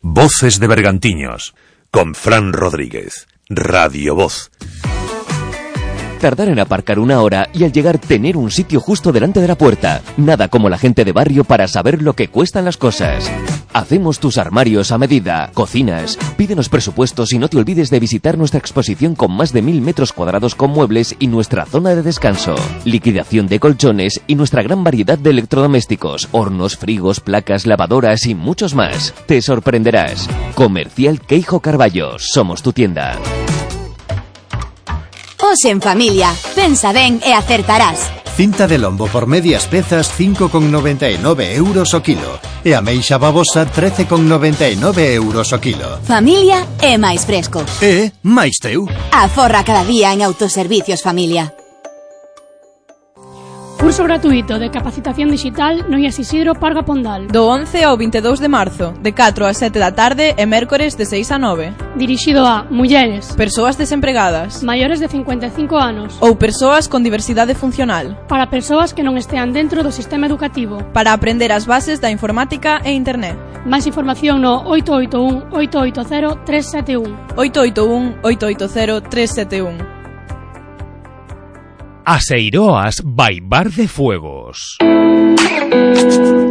Voces de Bergantiños, con Fran Rodríguez, Radio Voz. Tardar en aparcar una hora y al llegar tener un sitio justo delante de la puerta. Nada como la gente de barrio para saber lo que cuestan las cosas. Hacemos tus armarios a medida. Cocinas. Pídenos presupuestos y no te olvides de visitar nuestra exposición con más de mil metros cuadrados con muebles y nuestra zona de descanso. Liquidación de colchones y nuestra gran variedad de electrodomésticos, hornos, frigos, placas, lavadoras y muchos más. Te sorprenderás. Comercial Queijo Carballo. Somos tu tienda. Os en familia. Pensa ben e acertarás. Cinta de lombo por medias pezas cinco con noventa e nove euros o kilo e ameixa babosa trece con noventa e nove euros o kilo. Familia é máis fresco. E máis teu. Aforra cada día en Autoservicios Familia. Curso gratuito de capacitación digital no I A S Isidro Parga Pondal. Do once ao veintidós de marzo, de catro a sete da tarde e mércores de seis a nove. Dirixido a mulleres, persoas desempregadas, maiores de cincuenta e cinco anos ou persoas con diversidade funcional. Para persoas que non estean dentro do sistema educativo. Para aprender as bases da informática e internet. Máis información no oito oito un, oito oito cero, tres sete un. oito oito un, oito oito cero, tres sete un. Aseiroas by Bar de Fuegos.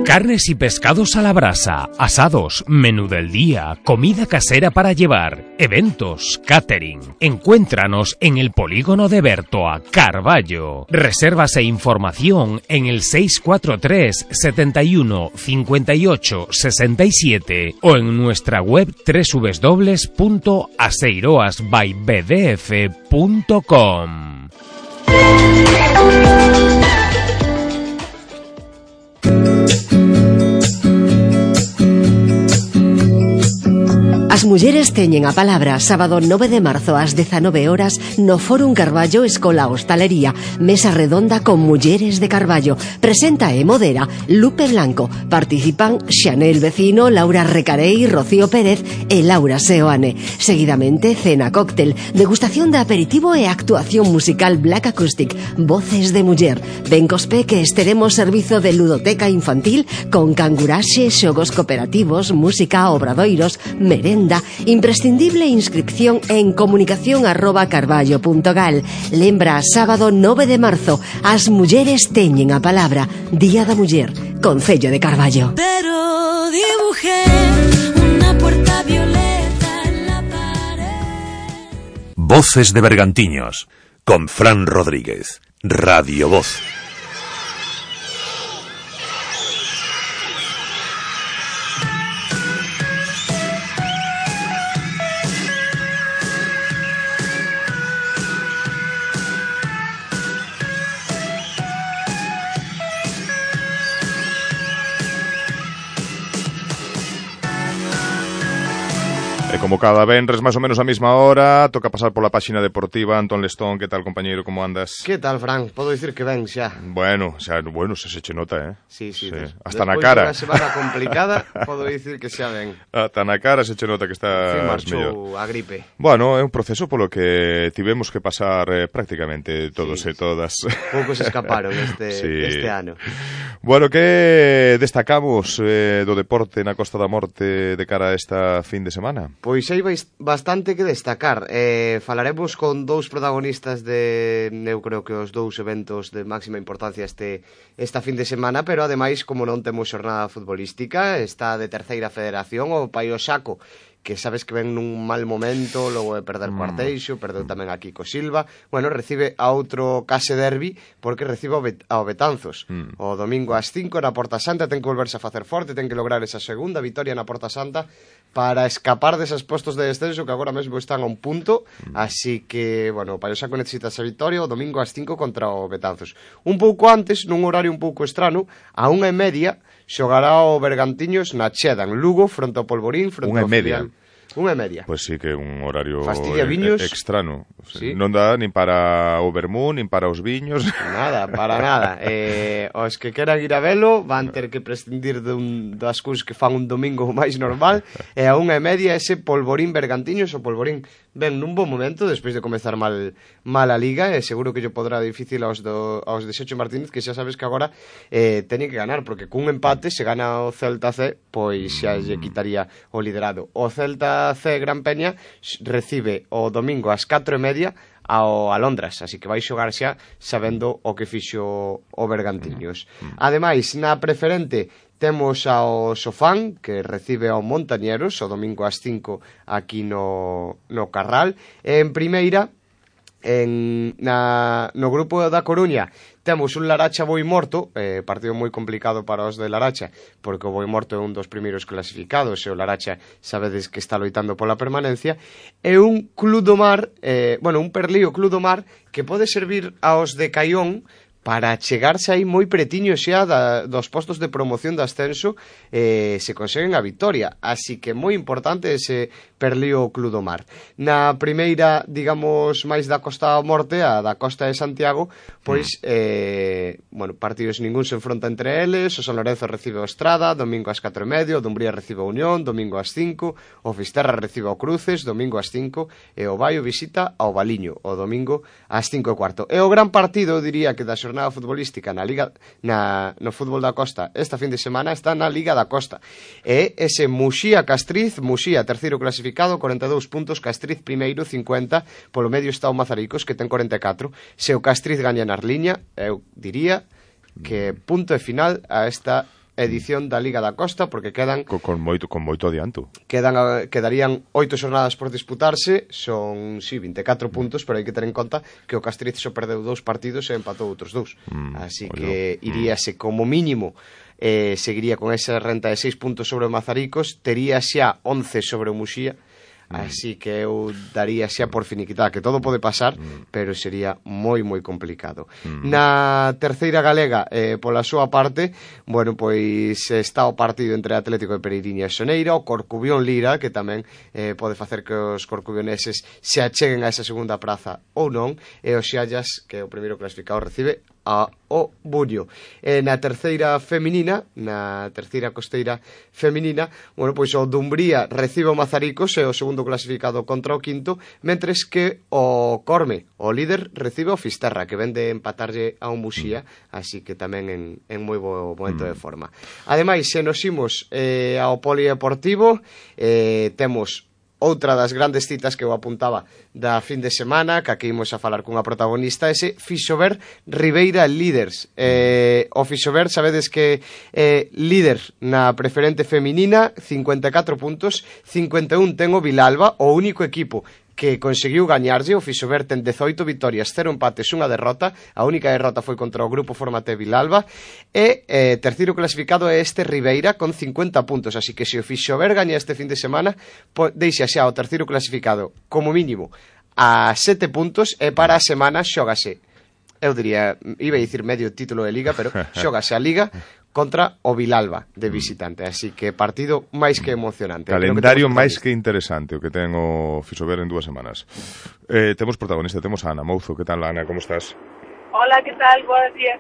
Carnes y pescados a la brasa, asados, menú del día, comida casera para llevar, eventos, catering. Encuéntranos en el polígono de Bertoa, Carballo. Reservas e información en el seis cuatro tres, setenta y uno, cincuenta y ocho, sesenta y siete o en nuestra web doble u doble u doble u punto aseiroas by b d f punto com. As mulleres teñen a palabra sábado nove de marzo ás dezanove horas no Fórum Carballo Escola Hostalería, mesa redonda con mulleres de Carballo. Presenta e modera Lupe Blanco. Participan Xanel Vecino, Laura Recarei, Rocío Pérez e Laura Seoane. Seguidamente cena cóctel, degustación de aperitivo e actuación musical Black Acoustic, voces de muller. Ben cospe que esteremos servizo de ludoteca infantil con canguraxe, xogos cooperativos, música, obradoiros, merenda. Imprescindible inscripción en comunicación arroba carballo punto gal. Lembra, sábado nove de marzo, as mulleres teñen a palabra. Día da Muller, Concello de Carballo. Pero dibujé una puerta violeta en la pared. Voces de Bergantiños, con Fran Rodríguez. Radio Voz. E como cada venres, máis ou menos a mesma hora, toca pasar pola páxina deportiva. Antón Lestón, que tal, compañeiro, como andas? Que tal, Fran? Podo dicir que ben xa. Bueno, xa, bueno, xa se che nota, eh? Sí, sí. sí. Des, Hasta na cara. Despois de unha semana complicada, podo dicir que xa ben. Hasta na cara se che nota que está marchou a gripe. Bueno, é un proceso polo que tivemos que pasar eh, prácticamente todos sí, e todas. Poucos escaparon este, sí. este ano. Bueno, que destacamos eh, do deporte na Costa da Morte de cara a esta fin de semana? Pois hai bastante que destacar. Eh, falaremos con dous protagonistas de, eu creo que os dous eventos de máxima importancia este esta fin de semana, pero ademais, como non temos xornada futbolística, está de terceira federación o Paio Saco, que sabes que ven nun mal momento, logo de perder co Arteixo, perdeu tamén a Kiko Silva. Bueno, recibe a outro case derbi, porque recibe ao, Bet ao Betanzos. Mm. O domingo ás cinco na Porta Santa, ten que volverse a facer forte, ten que lograr esa segunda vitoria na Porta Santa para escapar deses postos de descenso que agora mesmo están a un punto. Mm. Así que, bueno, o Paio Saco necesita esa vitoria o domingo ás cinco contra o Betanzos. Un pouco antes, nun horario un pouco estrano, a unha e media, xogará o Bergantiños na Cheda, en Lugo, fronte ao Polvorín, fronte ao filial. Unha e media. Pois pues sí que é un horario Fastidia viños. extrano. Sí. Non dá nin para o vermú, nin para os viños. Nada, para nada. Eh, os que queran ir a velo van ter que prescindir dun, das cousas que fan un domingo máis normal. E a unha e media ese Polvorín Bergantiños. O Polvorín ven nun bon momento despois de comezar mal, mal a Liga, e seguro que yo podrá difícil aos, do, aos de Xecho Martínez, que xa sabes que agora eh, teñen que ganar, porque cun empate se gana o Celta C, pois xa lle quitaría o liderado. O Celta C Gran Peña recibe o domingo ás catro e media ao Alondras, así que vai xogar xa sabendo o que fixo o Bergantiños. Ademais, na preferente temos ao Sofán, que recibe ao Montañeros o domingo ás cinco aquí no, no Carral. En primeira, en, na, no grupo da Coruña, temos un Laracha Boimorto, eh, partido moi complicado para os de Laracha, porque o Boimorto é un dos primeiros clasificados, e o Laracha sabedes que está loitando pola permanencia, e un Club do Mar, eh, bueno, un Perlío Club do Mar, que pode servir aos de Caión para chegarse aí moi pretiño xa da, dos postos de promoción de ascenso, eh, se conseguen a vitoria, así que moi importante ese Perlío Club do Mar. Na primeira, digamos, máis da Costa da Morte, a da Costa de Santiago, pois, eh, bueno, partidos ningún se enfronta entre eles, o San Lorenzo recibe o Estrada, domingo ás catro e medio, o Dumbría recibe o Unión, domingo ás cinco, o Fisterra recibe o Cruces, domingo ás cinco, e o Baio visita ao Valiño, o domingo ás cinco e cuarto. E o gran partido, diría que da xornada futbolística na Liga, na, no fútbol da Costa esta fin de semana está na Liga da Costa, e ese Muxía Castriz, Muxía terceiro clasificado, corenta e dous puntos, Castriz primeiro, cincuenta, polo medio está o Mazaricos, que ten corenta e catro. Se o Castriz gaña na liña, eu diría que punto e final a esta edición da Liga da Costa, porque quedan con, con moito con moito adianto. Quedan quedarían oito xornadas por disputarse, son si sí, vinte e catro puntos, pero hai que ter en conta que o Castriz só perdeu dous partidos e empatou outros dous. Mm, Así que iríase como mínimo, eh, seguiría con esa renta de seis puntos sobre o Mazaricos, tería xa once sobre o Muxía. Así que eu daría xa por finiquitada, que todo pode pasar, mm. pero sería moi, moi complicado. Mm. Na terceira galega, eh, pola súa parte, bueno, pois está o partido entre Atlético de Pereiriña e Soneira, o Corcubión Lira, que tamén eh, pode facer que os corcubioneses se acheguen a esa segunda praza ou non, e o Xallas, que é o primeiro clasificado, recibe a o Buño. E na terceira feminina, na terceira costeira feminina, bueno, pois o Dumbría recibe o Mazaricos, e o segundo clasificado contra o quinto, mentres que o Corme, o líder, recibe o Fisterra, que ven de empatarlle a un Muxía, así que tamén en, en moi bo momento de forma. Ademais, se nos imos eh, ao polideportivo, eh, temos outra das grandes citas que eu apuntaba da fin de semana, que aquí imos a falar cunha protagonista, ese Fixober Ribeira Líders. Eh, o Fixober, sabedes que é eh, líder na preferente feminina, cincuenta e catro puntos, cincuenta e un ten o Vilalba, o único equipo que conseguiu gañarlle. O Fixober ten dezoito vitorias, cero empates, unha derrota. A única derrota foi contra o grupo Formate Vilalba. E eh, terceiro clasificado é este Ribeira con cincuenta puntos. Así que se o Fixober gaña este fin de semana, deixa xa o terceiro clasificado como mínimo a sete puntos, e para a semana xógase, eu diría, iba a dicir medio título de Liga, pero xógase a Liga contra o Vilalba de visitante, así que partido máis que emocionante. Calendario que máis que interesante o que ten o Fixober en dúas semanas. Eh, temos protagonista, temos a Ana Mouzo. Que tal, Ana? Como estás? Hola, que tal? Buenos días.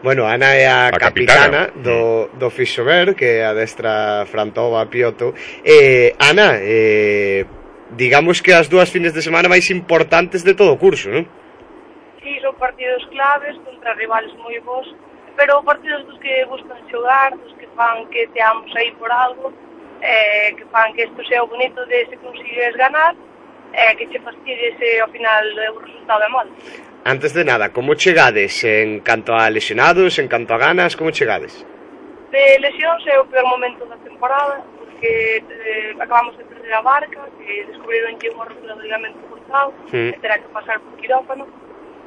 Bueno, Ana é a, a capitana, capitana do, do Fixober, que adestra Frantova Pioto. Eh, Ana, eh, digamos que as dúas fines de semana máis importantes de todo o curso, non? Sí, son partidos claves contra rivales moi bons, pero partidos dos que buscan xogar, dos que fan que teamos aí por algo, eh, que fan que isto sea o bonito de se consigues ganar, eh, que che fastidie se ao final o resultado é mal. Antes de nada, como chegades en canto a lesionados, en canto a ganas, como chegades? De lesións é o peor momento da temporada, porque eh, acabamos de perder a Barca, que descubriron que unha rotura do ligamento cruzado, mm. e terá que pasar por quirófano.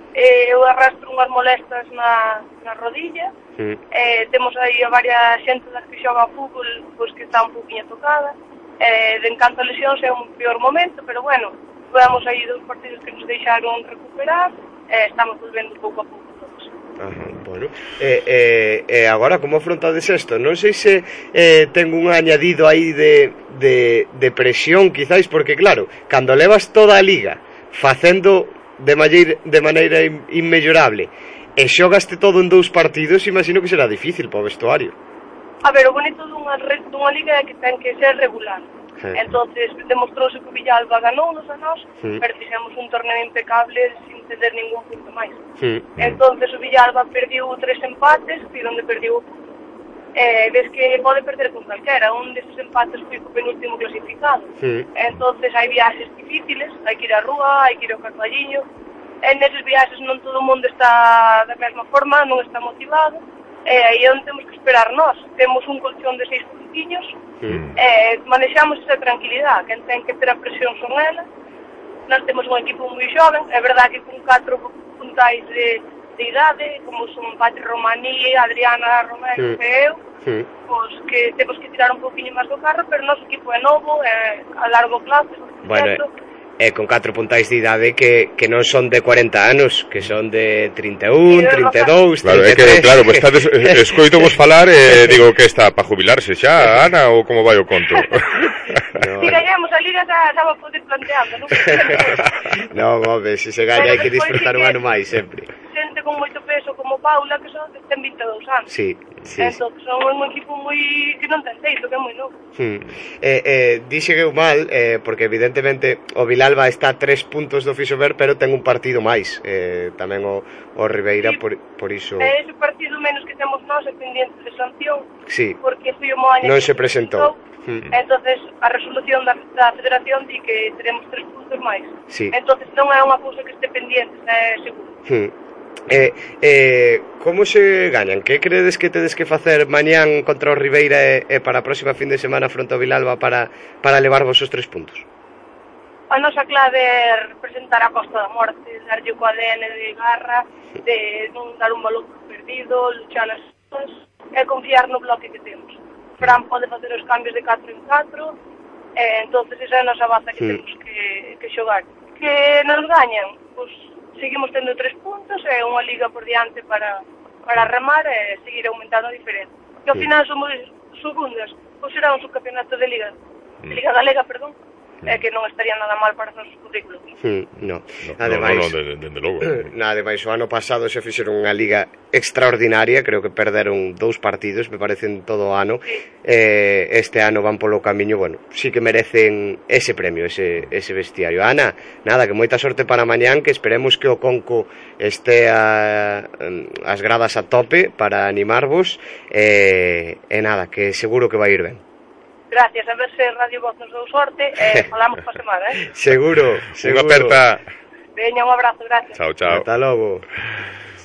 Eh, eu arrastro unhas molestas na, na rodilla, mm. eh, temos aí a varias xente das que xoga a fútbol, pois que está un pouquinho tocada, eh, de encanto a lesións é un peor momento, pero bueno, podemos aí dos partidos que nos deixaron recuperar, eh, estamos volvendo pouco a pouco todos. Ajá, bueno, e eh, eh, eh, agora como afrontades isto? Non sei se eh, ten un añadido aí de, de, de presión, quizáis, porque claro, cando levas toda a liga facendo de maneira, de maneira inmellorable e xogaste todo en dous partidos, imagino que será difícil para o vestuario. A ver, o bonito dunha, dunha liga é que ten que ser regular. Sí. Entonces, demostrouse que o Villalba ganounos a nós, sí. pero fixemos un torneo impecable sin ceder ningún punto máis. Sí. Entonces, o Villalba perdiu tres empates, e onde perdiu o punto. eh, ves que pode perder con calquera. Un deses empates foi co penúltimo clasificado. Sí. Entonces hai viaxes difíciles, hai que ir á rúa, hai que ir ao Carballiño. E neses viaxes non todo o mundo está da mesma forma, non está motivado. E aí é onde temos que esperar nós. Temos un colchón de seis puntiños, Mm. e manexamos esa tranquilidade. Quen ten que ter a presión son elas. Nós temos un equipo moi xoven, é verdade que con catro puntais de, de idade, como son Patri Romaní, Adriana Romero Mm. e eu, Mm. pois que temos que tirar un poquinho máis do carro, pero o noso equipo é novo, é a largo plazo, Bueno, certo? e con catro puntais de idade que, que non son de cuarenta anos, que son de trinta e un, trinta e dous, Claro, é trinta e tres. que, claro, pues estades, escoito vos falar e digo que está para jubilarse xa, Ana, ou como vai o conto? Si gañamos a Liga xa, xa va a poder planteando, non? Non, home, se se gaña hai que disfrutar un ano máis sempre. Xente con moito peso como Paula, que son ten vinte e dous anos. Sí, sí. Entón, son un equipo moi que non ten teito, que é moi novo. Hmm. Eh, eh, dixe que eu mal, eh, porque evidentemente o Vilalba está a tres puntos do Fisober, pero ten un partido máis, eh, tamén o, o Ribeira, por, por iso... É ese partido menos que temos nós é pendiente de sanción, Sí, porque foi o Moaña non que se presentou. Hmm. entonces a resolución da, da federación di que teremos tres puntos máis. Sí. Entonces non é unha cousa que este pendiente, é seguro. Hmm. Eh, eh, como se gañan? Que credes que tedes que facer mañán contra o Ribeira e, e para a próxima fin de semana fronte ao Vilalba para, para levarvos os tres puntos? A nosa clave é representar a Costa da Morte, darlle co A D N de garra, de non dar un balón perdido, luchar as cosas e confiar no bloque que temos. Fran pode facer os cambios de catro en catro, e entonces esa é a nosa baza que Sí. temos que, que xogar. Que nos gañan, pois seguimos tendo tres puntos e unha liga por diante para, para remar e seguir aumentando a diferencia. Que ao Sí. final somos segundas, pois será un subcampeonato de liga, de liga galega, perdón, é que non estaría nada mal para os nosos currículos. Hmm, no. No, Ademais, no, no, de, de, de logo. na, ademais, o ano pasado se fixeron unha liga extraordinaria, creo que perderon dous partidos, me parecen todo o ano. Eh, este ano van polo camiño, bueno, sí que merecen ese premio, ese, ese vestiario. Ana, nada, que moita sorte para mañán, que esperemos que o Conco este a, as gradas a tope para animarvos, e, e nada, que seguro que vai ir ben. Gracias, a ver se Radio Voz nos dou sorte e falamos pa semana, eh? Seguro, seguro. Unha aperta. Veña, un abrazo, gracias. Chao, chao. Ata logo.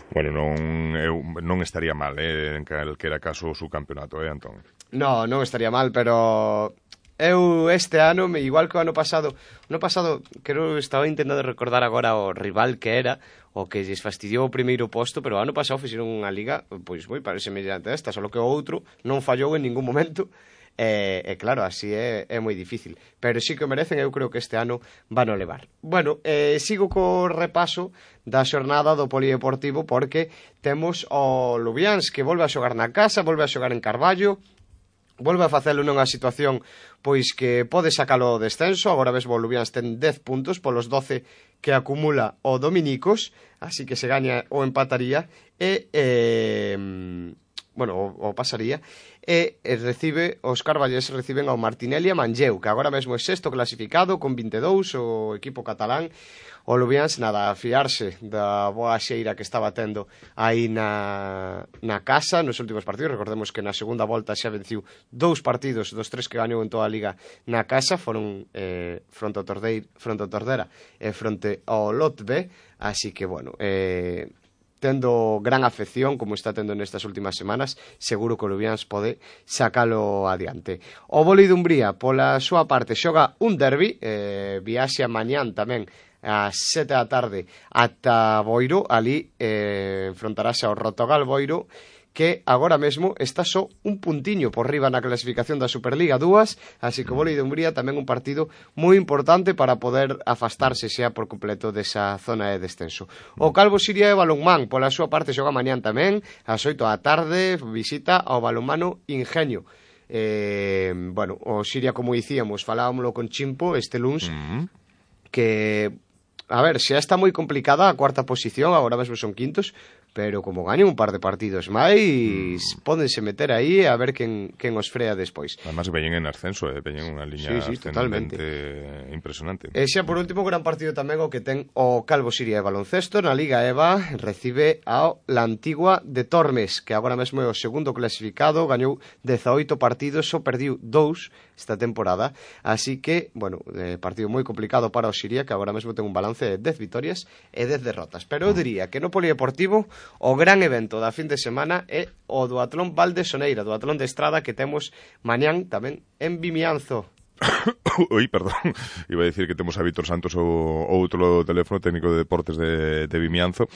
Bueno, non, eu, non estaría mal, eh, en calquera caso o subcampeonato, eh, Antón? No, non estaría mal, pero eu este ano, igual que o ano pasado, o ano pasado, creo que estaba intentando recordar agora o rival que era, o que lles fastidiou o primeiro posto, pero o ano pasado fixeron unha liga, pois moi parece semellante a esta, só que o outro non fallou en ningún momento. E, e claro, así é, é moi difícil, pero sí que o merecen, eu creo que este ano van a levar. Bueno, eh, sigo co repaso da xornada do Polideportivo, porque temos o Lubiáns que volve a xogar na casa, volve a xogar en Carballo, volve a facelo nunha situación pois que pode sacalo o descenso. Agora mesmo o Lubiáns ten dez puntos polos doce que acumula o Dominicos, así que se gaña o empataría e eh, bueno, o, o pasaría, e, e recibe, os carballés reciben ao Martinelli e Manlleu, que agora mesmo é sexto clasificado con vinte e dous, o equipo catalán. O Lubiáns, nada, a fiarse da boa xeira que estaba tendo aí na, na casa nos últimos partidos. Recordemos que na segunda volta xa venciu dous partidos dos tres que gañou en toda a liga na casa, foron eh, fronte ao Tordeira, fronte ao Tordera e fronte ao Lot B, así que, bueno, eh, tendo gran afección, como está tendo nestas últimas semanas, seguro que o Lubiáns pode sacalo adiante. O Boli de Umbría, pola súa parte, xoga un derbi, eh, viaxe mañán tamén ás sete da tarde ata Boiro, ali eh, enfrontarase ao Rotogal Boiro, que agora mesmo está só un puntiño por riba na clasificación da Superliga dúas, así que o Boli de Umbría tamén un partido moi importante para poder afastarse xa por completo desa zona de descenso. O Calvo Siria e Balonmán, pola súa parte, xoga mañán tamén, ás oito da tarde, visita ao Balonmano Ingenio. Eh, bueno, o Siria, como dicíamos, falábamoslo con Chimpo este luns, mm-hmm. que... A ver, xa está moi complicada a cuarta posición, agora mesmo son quintos, pero como ganen un par de partidos máis, mm. pódense meter aí a ver quen, quen os frea despois. Además veñen en ascenso, eh? veñen unha liña sí, sí, totalmente impresionante. E xa por último, gran partido tamén o que ten o Calvo Siria de baloncesto na Liga E V A, recibe ao La Antigua de Tormes, que agora mesmo é o segundo clasificado, gañou dezaoito partidos, só perdiu dous esta temporada, así que, bueno, eh, partido moi complicado para o Siria, que agora mesmo ten un balance de dez vitorias e dez derrotas, pero eu diría que no polideportivo o gran evento da fin de semana é o duatlón Valdesoneira, duatlón de estrada que temos mañán tamén en Vimianzo. Ui, perdón, iba a decir que temos a Víctor Santos o, o outro teléfono técnico de deportes de, de Vimianzo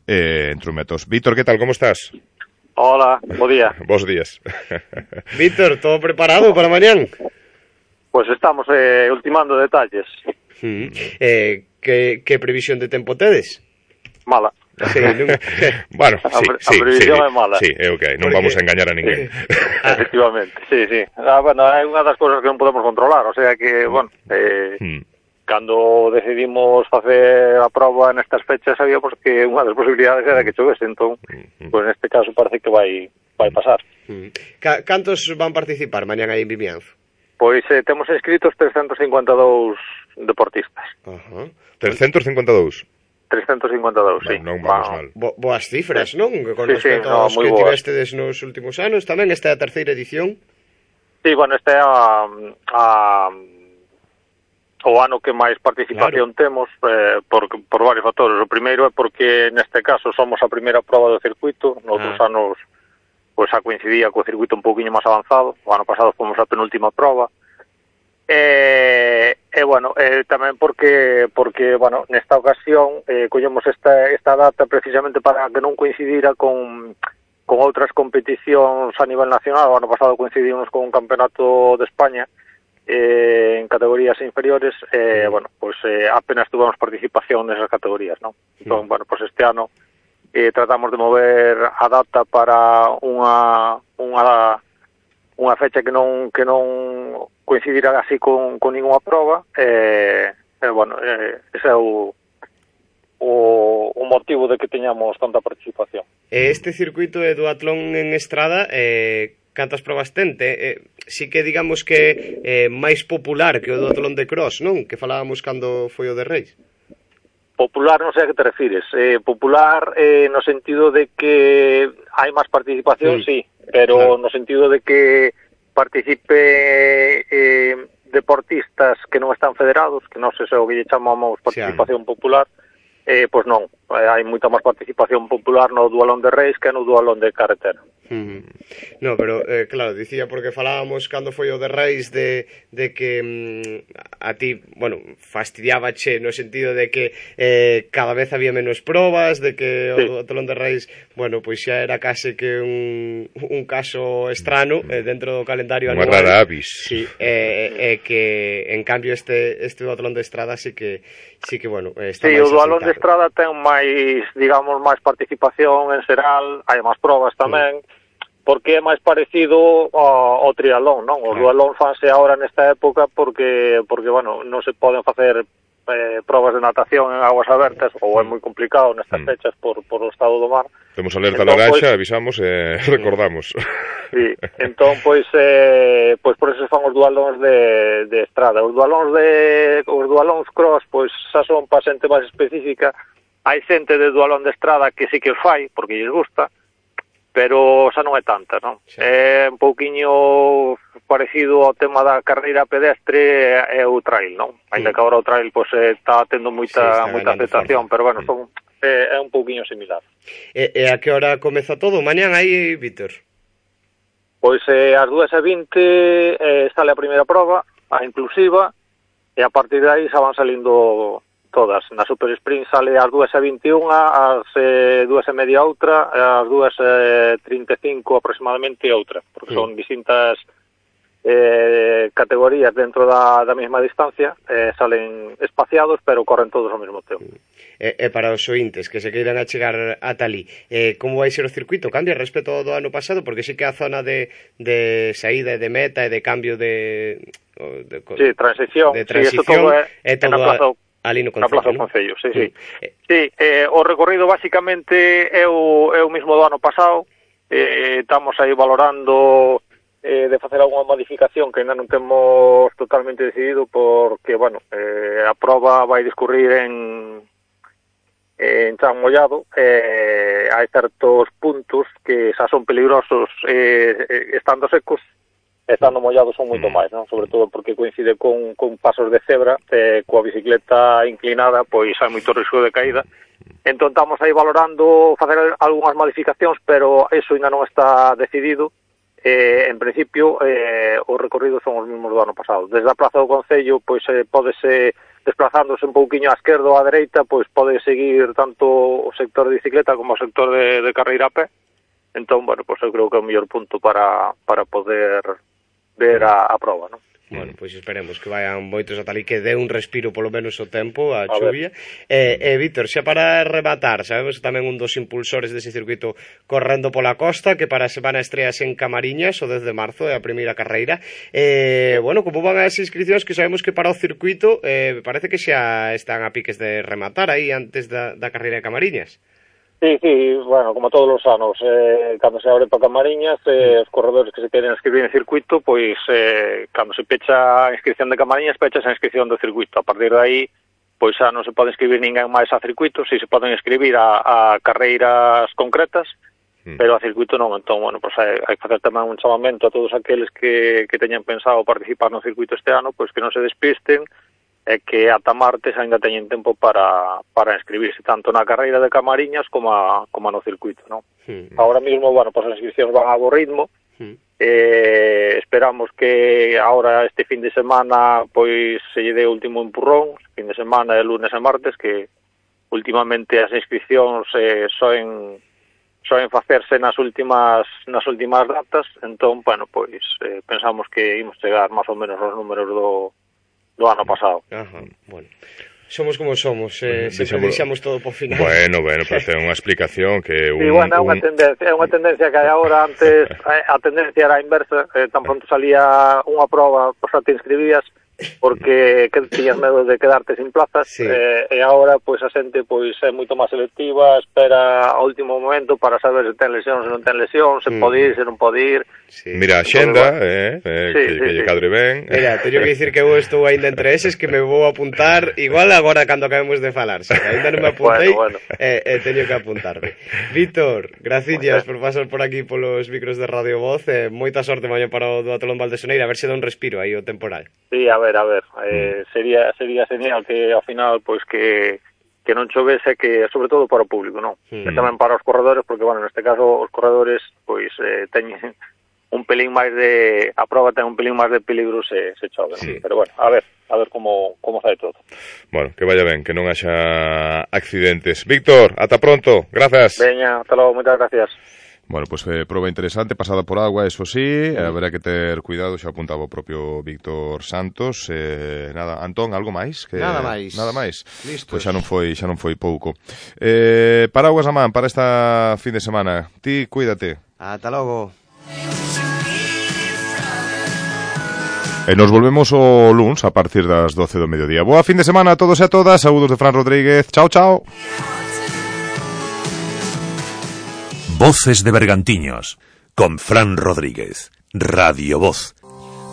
eh, en Trumetos. Víctor, que tal, como estás? Hola, bo día. Bos días. Víctor, todo preparado para mañán? Pues estamos eh, ultimando detalles. Mm. Eh, que, que previsión de tempo tedes? Mala. Sí, non... bueno, sí, a, sí, a previsión sí, é mala. Sí, é ok, non vamos a engañar a ninguén. Efectivamente, sí, sí. Ah, bueno, é unha das cousas que non podemos controlar, o sea que, bueno, eh, hmm. cando decidimos facer a proba nestas fechas sabíamos que unha das posibilidades era que chovese, entón, hmm. pues neste caso parece que vai vai pasar. Hmm. Cantos van participar mañán aí en Vimianzo? Pois eh, temos inscritos trescentos cincuenta e dous deportistas. Uh-huh. trescentos cincuenta e dous? trescentos cincuenta e dous, sí. Non vamos mal. Bo, boas cifras, non? Con sí, respecto sí, no, aos que boas. tivestedes nos últimos anos. Tamén esta é a terceira edición. Sí, bueno, este é a, a, o ano que máis participación claro. temos eh, por, por varios factores. O primeiro é porque neste caso somos a primeira proba do circuito. Noutros ah. anos pois a coincidía co circuito un pouquiño máis avanzado. O ano pasado fomos a penúltima proba. E, e bueno, eh, tamén porque, porque bueno, nesta ocasión eh, collemos esta, esta data precisamente para que non coincidira con, con outras competicións a nivel nacional. O ano pasado coincidimos con un campeonato de España eh, en categorías inferiores e, eh, bueno, pues eh, apenas tuvemos participación nesas categorías, non? Entón, bueno, pues este ano eh, tratamos de mover a data para unha unha unha fecha que non que non coincidirá así con, con ninguna prova e, eh, eh, bueno, eh, ese é o, o, o motivo de que teñamos tanta participación. Este circuito de duatlón en estrada, eh, cantas probas tente? Eh, sí que digamos que é eh, máis popular que o duatlón de cross, non? Que falábamos cando foi o de Reis. Popular non sei a que te refires. Eh, popular eh, no sentido de que hai máis participación, mm. sí, pero claro. no sentido de que participe eh, deportistas que non están federados, que non sei se o que lle chamamos participación sí, popular, eh, pois non, eh, hai moita máis participación popular no dualón de Reis que no dualón de carretera. Uh-huh. No, pero eh, claro, dicía porque falábamos cando foi o de Reis de, de que mm, a ti, bueno, fastidiabache no sentido de que eh, cada vez había menos probas, de que sí. o duatlón de Reis, bueno, pois xa era case que un, un caso estrano eh, dentro do calendario anual. Unha rara avis. Sí, e eh, eh, que en cambio este este duatlón de estrada sí que sí que bueno, está sí, máis o duatlón asentado. de estrada ten máis, digamos, máis participación en xeral, hai máis probas tamén. Sí. Porque é máis parecido ao, ao triatlón, non? Os claro. duatlón fanse agora nesta época porque, porque bueno, non se poden facer eh, probas de natación en aguas abertas, ou é moi complicado nestas mm. fechas por, por o estado do mar. Temos alerta entón, laranxa, pois, avisamos e eh, recordamos. Sí, entón, pois, eh, pois por eso fan os dualóns de, de estrada. Os dualóns de, os dualóns cross, pois, xa son pa xente máis específica. Hai xente de dualón de estrada que sí que fai, porque lles gusta, pero xa non é tanta, non? Sí. É un pouquiño parecido ao tema da carreira pedestre e o trail, non? Ainda mm. que agora o trail pois, está tendo moita, sí, moita aceptación, forma. Pero bueno, son, é, é un pouquiño similar. E, e a que hora comeza todo? Mañán aí, Víctor? Pois eh, ás dúas e vinte eh, sale a primeira prova, a inclusiva, e a partir de aí xa van salindo todas. Na Super Sprint sale ás dúas e vinte e unha, ás eh, dúas e media outra, ás dúas e trinta e cinco aproximadamente outra, porque sí. son distintas eh, categorías dentro da, da mesma distancia, eh, salen espaciados, pero corren todos ao mesmo tempo. E, e para os ointes que se queiran a chegar a talí, eh, como vai ser o circuito? Cambia respecto ao do ano pasado? Porque sí que a zona de, de saída e de meta e de cambio de... de sí, transición. De transición sí, todo é, é todo a... Ali no Na Concello, Plaza do non? Concello, sí, sí. Mm. Sí, eh, o recorrido basicamente é o, é o mismo do ano pasado. Eh, estamos aí valorando eh, de facer algunha modificación que ainda non temos totalmente decidido porque, bueno, eh, a proba vai discurrir en en Chan Mollado. Eh, hai certos puntos que xa son peligrosos eh, eh, estando secos, estando mollados son moito máis, non? Sobre todo porque coincide con, con pasos de cebra, eh, coa bicicleta inclinada, pois hai moito risco de caída. Entón estamos aí valorando facer algunhas modificacións, pero eso ainda non está decidido. Eh, en principio, eh, os recorridos son os mesmos do ano pasado. Desde a Plaza do Concello, pois eh, pódese desplazándose un pouquiño á esquerda ou á dereita, pois pode seguir tanto o sector de bicicleta como o sector de, de carreira a pé. Entón, bueno, pois eu creo que é o mellor punto para, para poder ver a, a prova, non? Bueno, pois esperemos que vayan moitos ata ali, que dé un respiro polo menos o tempo, a, A chuvia. E, eh, eh, Víctor, xa para rematar, sabemos tamén un dos impulsores dese circuito correndo pola costa, que para a semana estreas en Camariñas, o dez de marzo, é a primeira carreira. Eh, bueno, como van as inscripcións, que sabemos que para o circuito eh, parece que xa están a piques de rematar aí antes da, da carreira de Camariñas. Sí, sí, bueno, como todos os anos, eh, cando se abre para Camariñas, eh, os corredores que se queren inscribir en circuito, pois, eh, cando se pecha a inscripción de Camariñas, pecha a inscripción do circuito. A partir de aí, pois xa non se pode inscribir ninguén máis a circuito, si se poden inscribir a, a carreiras concretas, mm. pero a circuito non. Entón, bueno, pois hai, hai que facer tamén un chamamento a todos aqueles que, que teñan pensado participar no circuito este ano, pois que non se despisten, é que ata martes ainda teñen tempo para, para inscribirse tanto na carreira de Camariñas como, a, como no circuito, non? Mm. Ahora mismo, bueno, pues as inscripcións van a bo ritmo. Mm. Eh, esperamos que ahora este fin de semana pois se lle dé o último empurrón, fin de semana de lunes e martes, que últimamente as inscripcións eh, soen soen facerse nas últimas nas últimas datas. Entón, bueno, pois eh, pensamos que imos chegar máis ou menos aos números do do ano pasado. Ajá, bueno. Somos como somos, eh, bueno, sempre deixamos todo por final. Bueno, bueno, pero ten unha explicación que un... Sí, bueno, é unha un... tendencia, é unha tendencia que hai agora. Antes a tendencia era a inversa, eh, tan pronto salía unha prova, pois xa te inscribías porque que tiñas medo de quedarte sin plazas, sí. eh, e agora pois a xente pois é moito máis selectiva, espera ao último momento para saber se ten lesión, se non ten lesión, se mm. pode ir, se non pode ir. Sí. Mira a xenda, eh, eh, sí, que, sí, que lle cadre ben. Mira, teño que dicir que eu estou ainda entre eses, que me vou apuntar igual agora cando acabemos de falar, se ainda non me apuntei, bueno, bueno. Eh, eh, teño que apuntarme. Víctor, graciñas por pasar por aquí polos micros de Radio Voz, eh, moita sorte mañá para o Duatlón Valdesoneira, a ver se dá un respiro aí o temporal. Sí, a ver, a ver, eh, sería sería genial que ao final pois que que non chovese, que sobre todo para o público, non? Mm. E tamén para os corredores, porque bueno, neste caso os corredores pois eh, teñen un pelín máis de a proba ten un pelín máis de peligro se se chove, sí. Pero bueno, a ver, a ver como como sai todo. Bueno, que vaya ben, que non haxa accidentes. Víctor, ata pronto. Grazas. Veña, hasta logo, moitas gracias. Bueno, pues eh, proba interesante, pasada por agua, eso sí, eh, habrá que ter cuidado, xa apuntaba o propio Víctor Santos. Eh, nada, Antón, algo máis? Que, nada máis. Nada máis. Listos. Pois xa non foi, xa non foi pouco. Eh, paraguas a man para esta fin de semana. Ti, cuídate. Ata logo. E nos volvemos o luns a partir das doce do mediodía. Boa fin de semana a todos e a todas. Saúdos de Fran Rodríguez. Chao, chao. Voces de Bergantiños, con Fran Rodríguez, Radio Voz.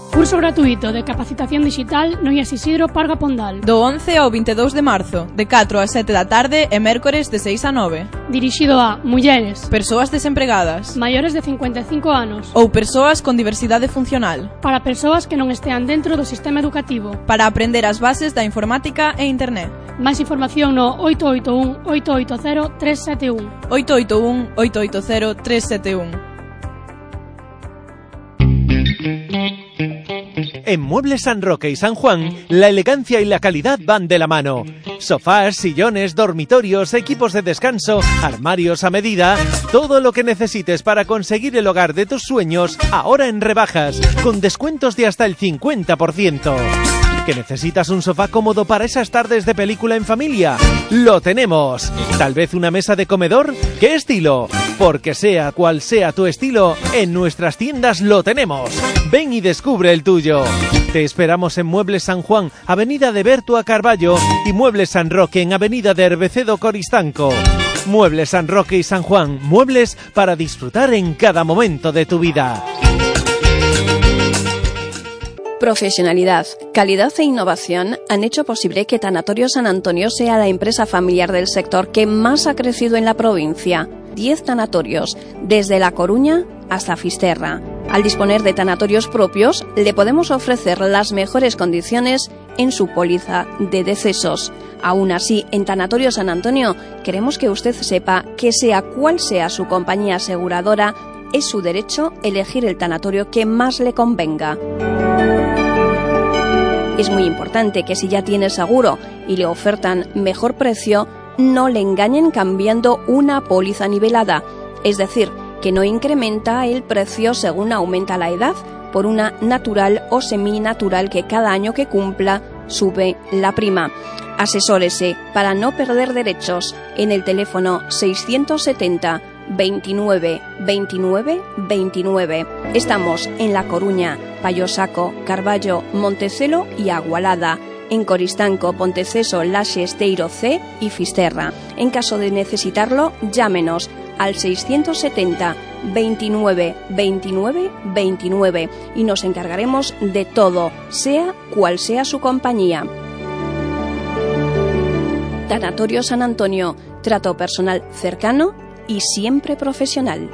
Curso gratuito de capacitación digital no I A S Isidro Parga Pondal. Do once ao vinte e dous de marzo, de catro a sete da tarde e mércores de seis a nove. Dirixido a mulleres, persoas desempregadas, maiores de cincuenta e cinco anos ou persoas con diversidade funcional. Para persoas que non estean dentro do sistema educativo. Para aprender as bases da informática e internet. Máis información no oito oito un, oito oito cero, tres sete un. oito oito un, oito oito cero, tres sete un. En Muebles San Roque y San Juan, la elegancia y la calidad van de la mano. Sofás, sillones, dormitorios, equipos de descanso, armarios a medida, todo lo que necesites para conseguir el hogar de tus sueños, ahora en rebajas, con descuentos de hasta el cincuenta por ciento. ¿Que necesitas un sofá cómodo para esas tardes de película en familia? ¡Lo tenemos! ¿Tal vez una mesa de comedor? ¿Qué estilo? Porque sea cual sea tu estilo, en nuestras tiendas lo tenemos. Ven y descubre el tuyo. Te esperamos en Muebles San Juan, Avenida de Bertua Carballo, y Muebles San Roque en Avenida de Herbecedo Coristanco. Muebles San Roque y San Juan, muebles para disfrutar en cada momento de tu vida. Profesionalidad, calidad e innovación han hecho posible que Tanatorio San Antonio sea la empresa familiar del sector que más ha crecido en la provincia. Diez tanatorios, desde La Coruña hasta Fisterra. Al disponer de tanatorios propios, le podemos ofrecer las mejores condiciones en su póliza de decesos. Aún así, en Tanatorio San Antonio, queremos que usted sepa que sea cual sea su compañía aseguradora, es su derecho elegir el tanatorio que más le convenga. Es muy importante que si ya tiene seguro y le ofertan mejor precio, no le engañen cambiando una póliza nivelada, es decir, que no incrementa el precio según aumenta la edad, por una natural o seminatural que cada año que cumpla sube la prima. Asesórese para no perder derechos en el teléfono seiscientos setenta veintinueve veintinueve veintinueve. Estamos en La Coruña, Payosaco, Carballo, Montecelo y Agualada. En Coristanco, Ponteceso, Laxe, Esteiro C y Fisterra. En caso de necesitarlo, llámenos al seiscientos setenta veintinueve veintinueve veintinueve y nos encargaremos de todo, sea cual sea su compañía. Tanatorio San Antonio, trato personal cercano y siempre profesional.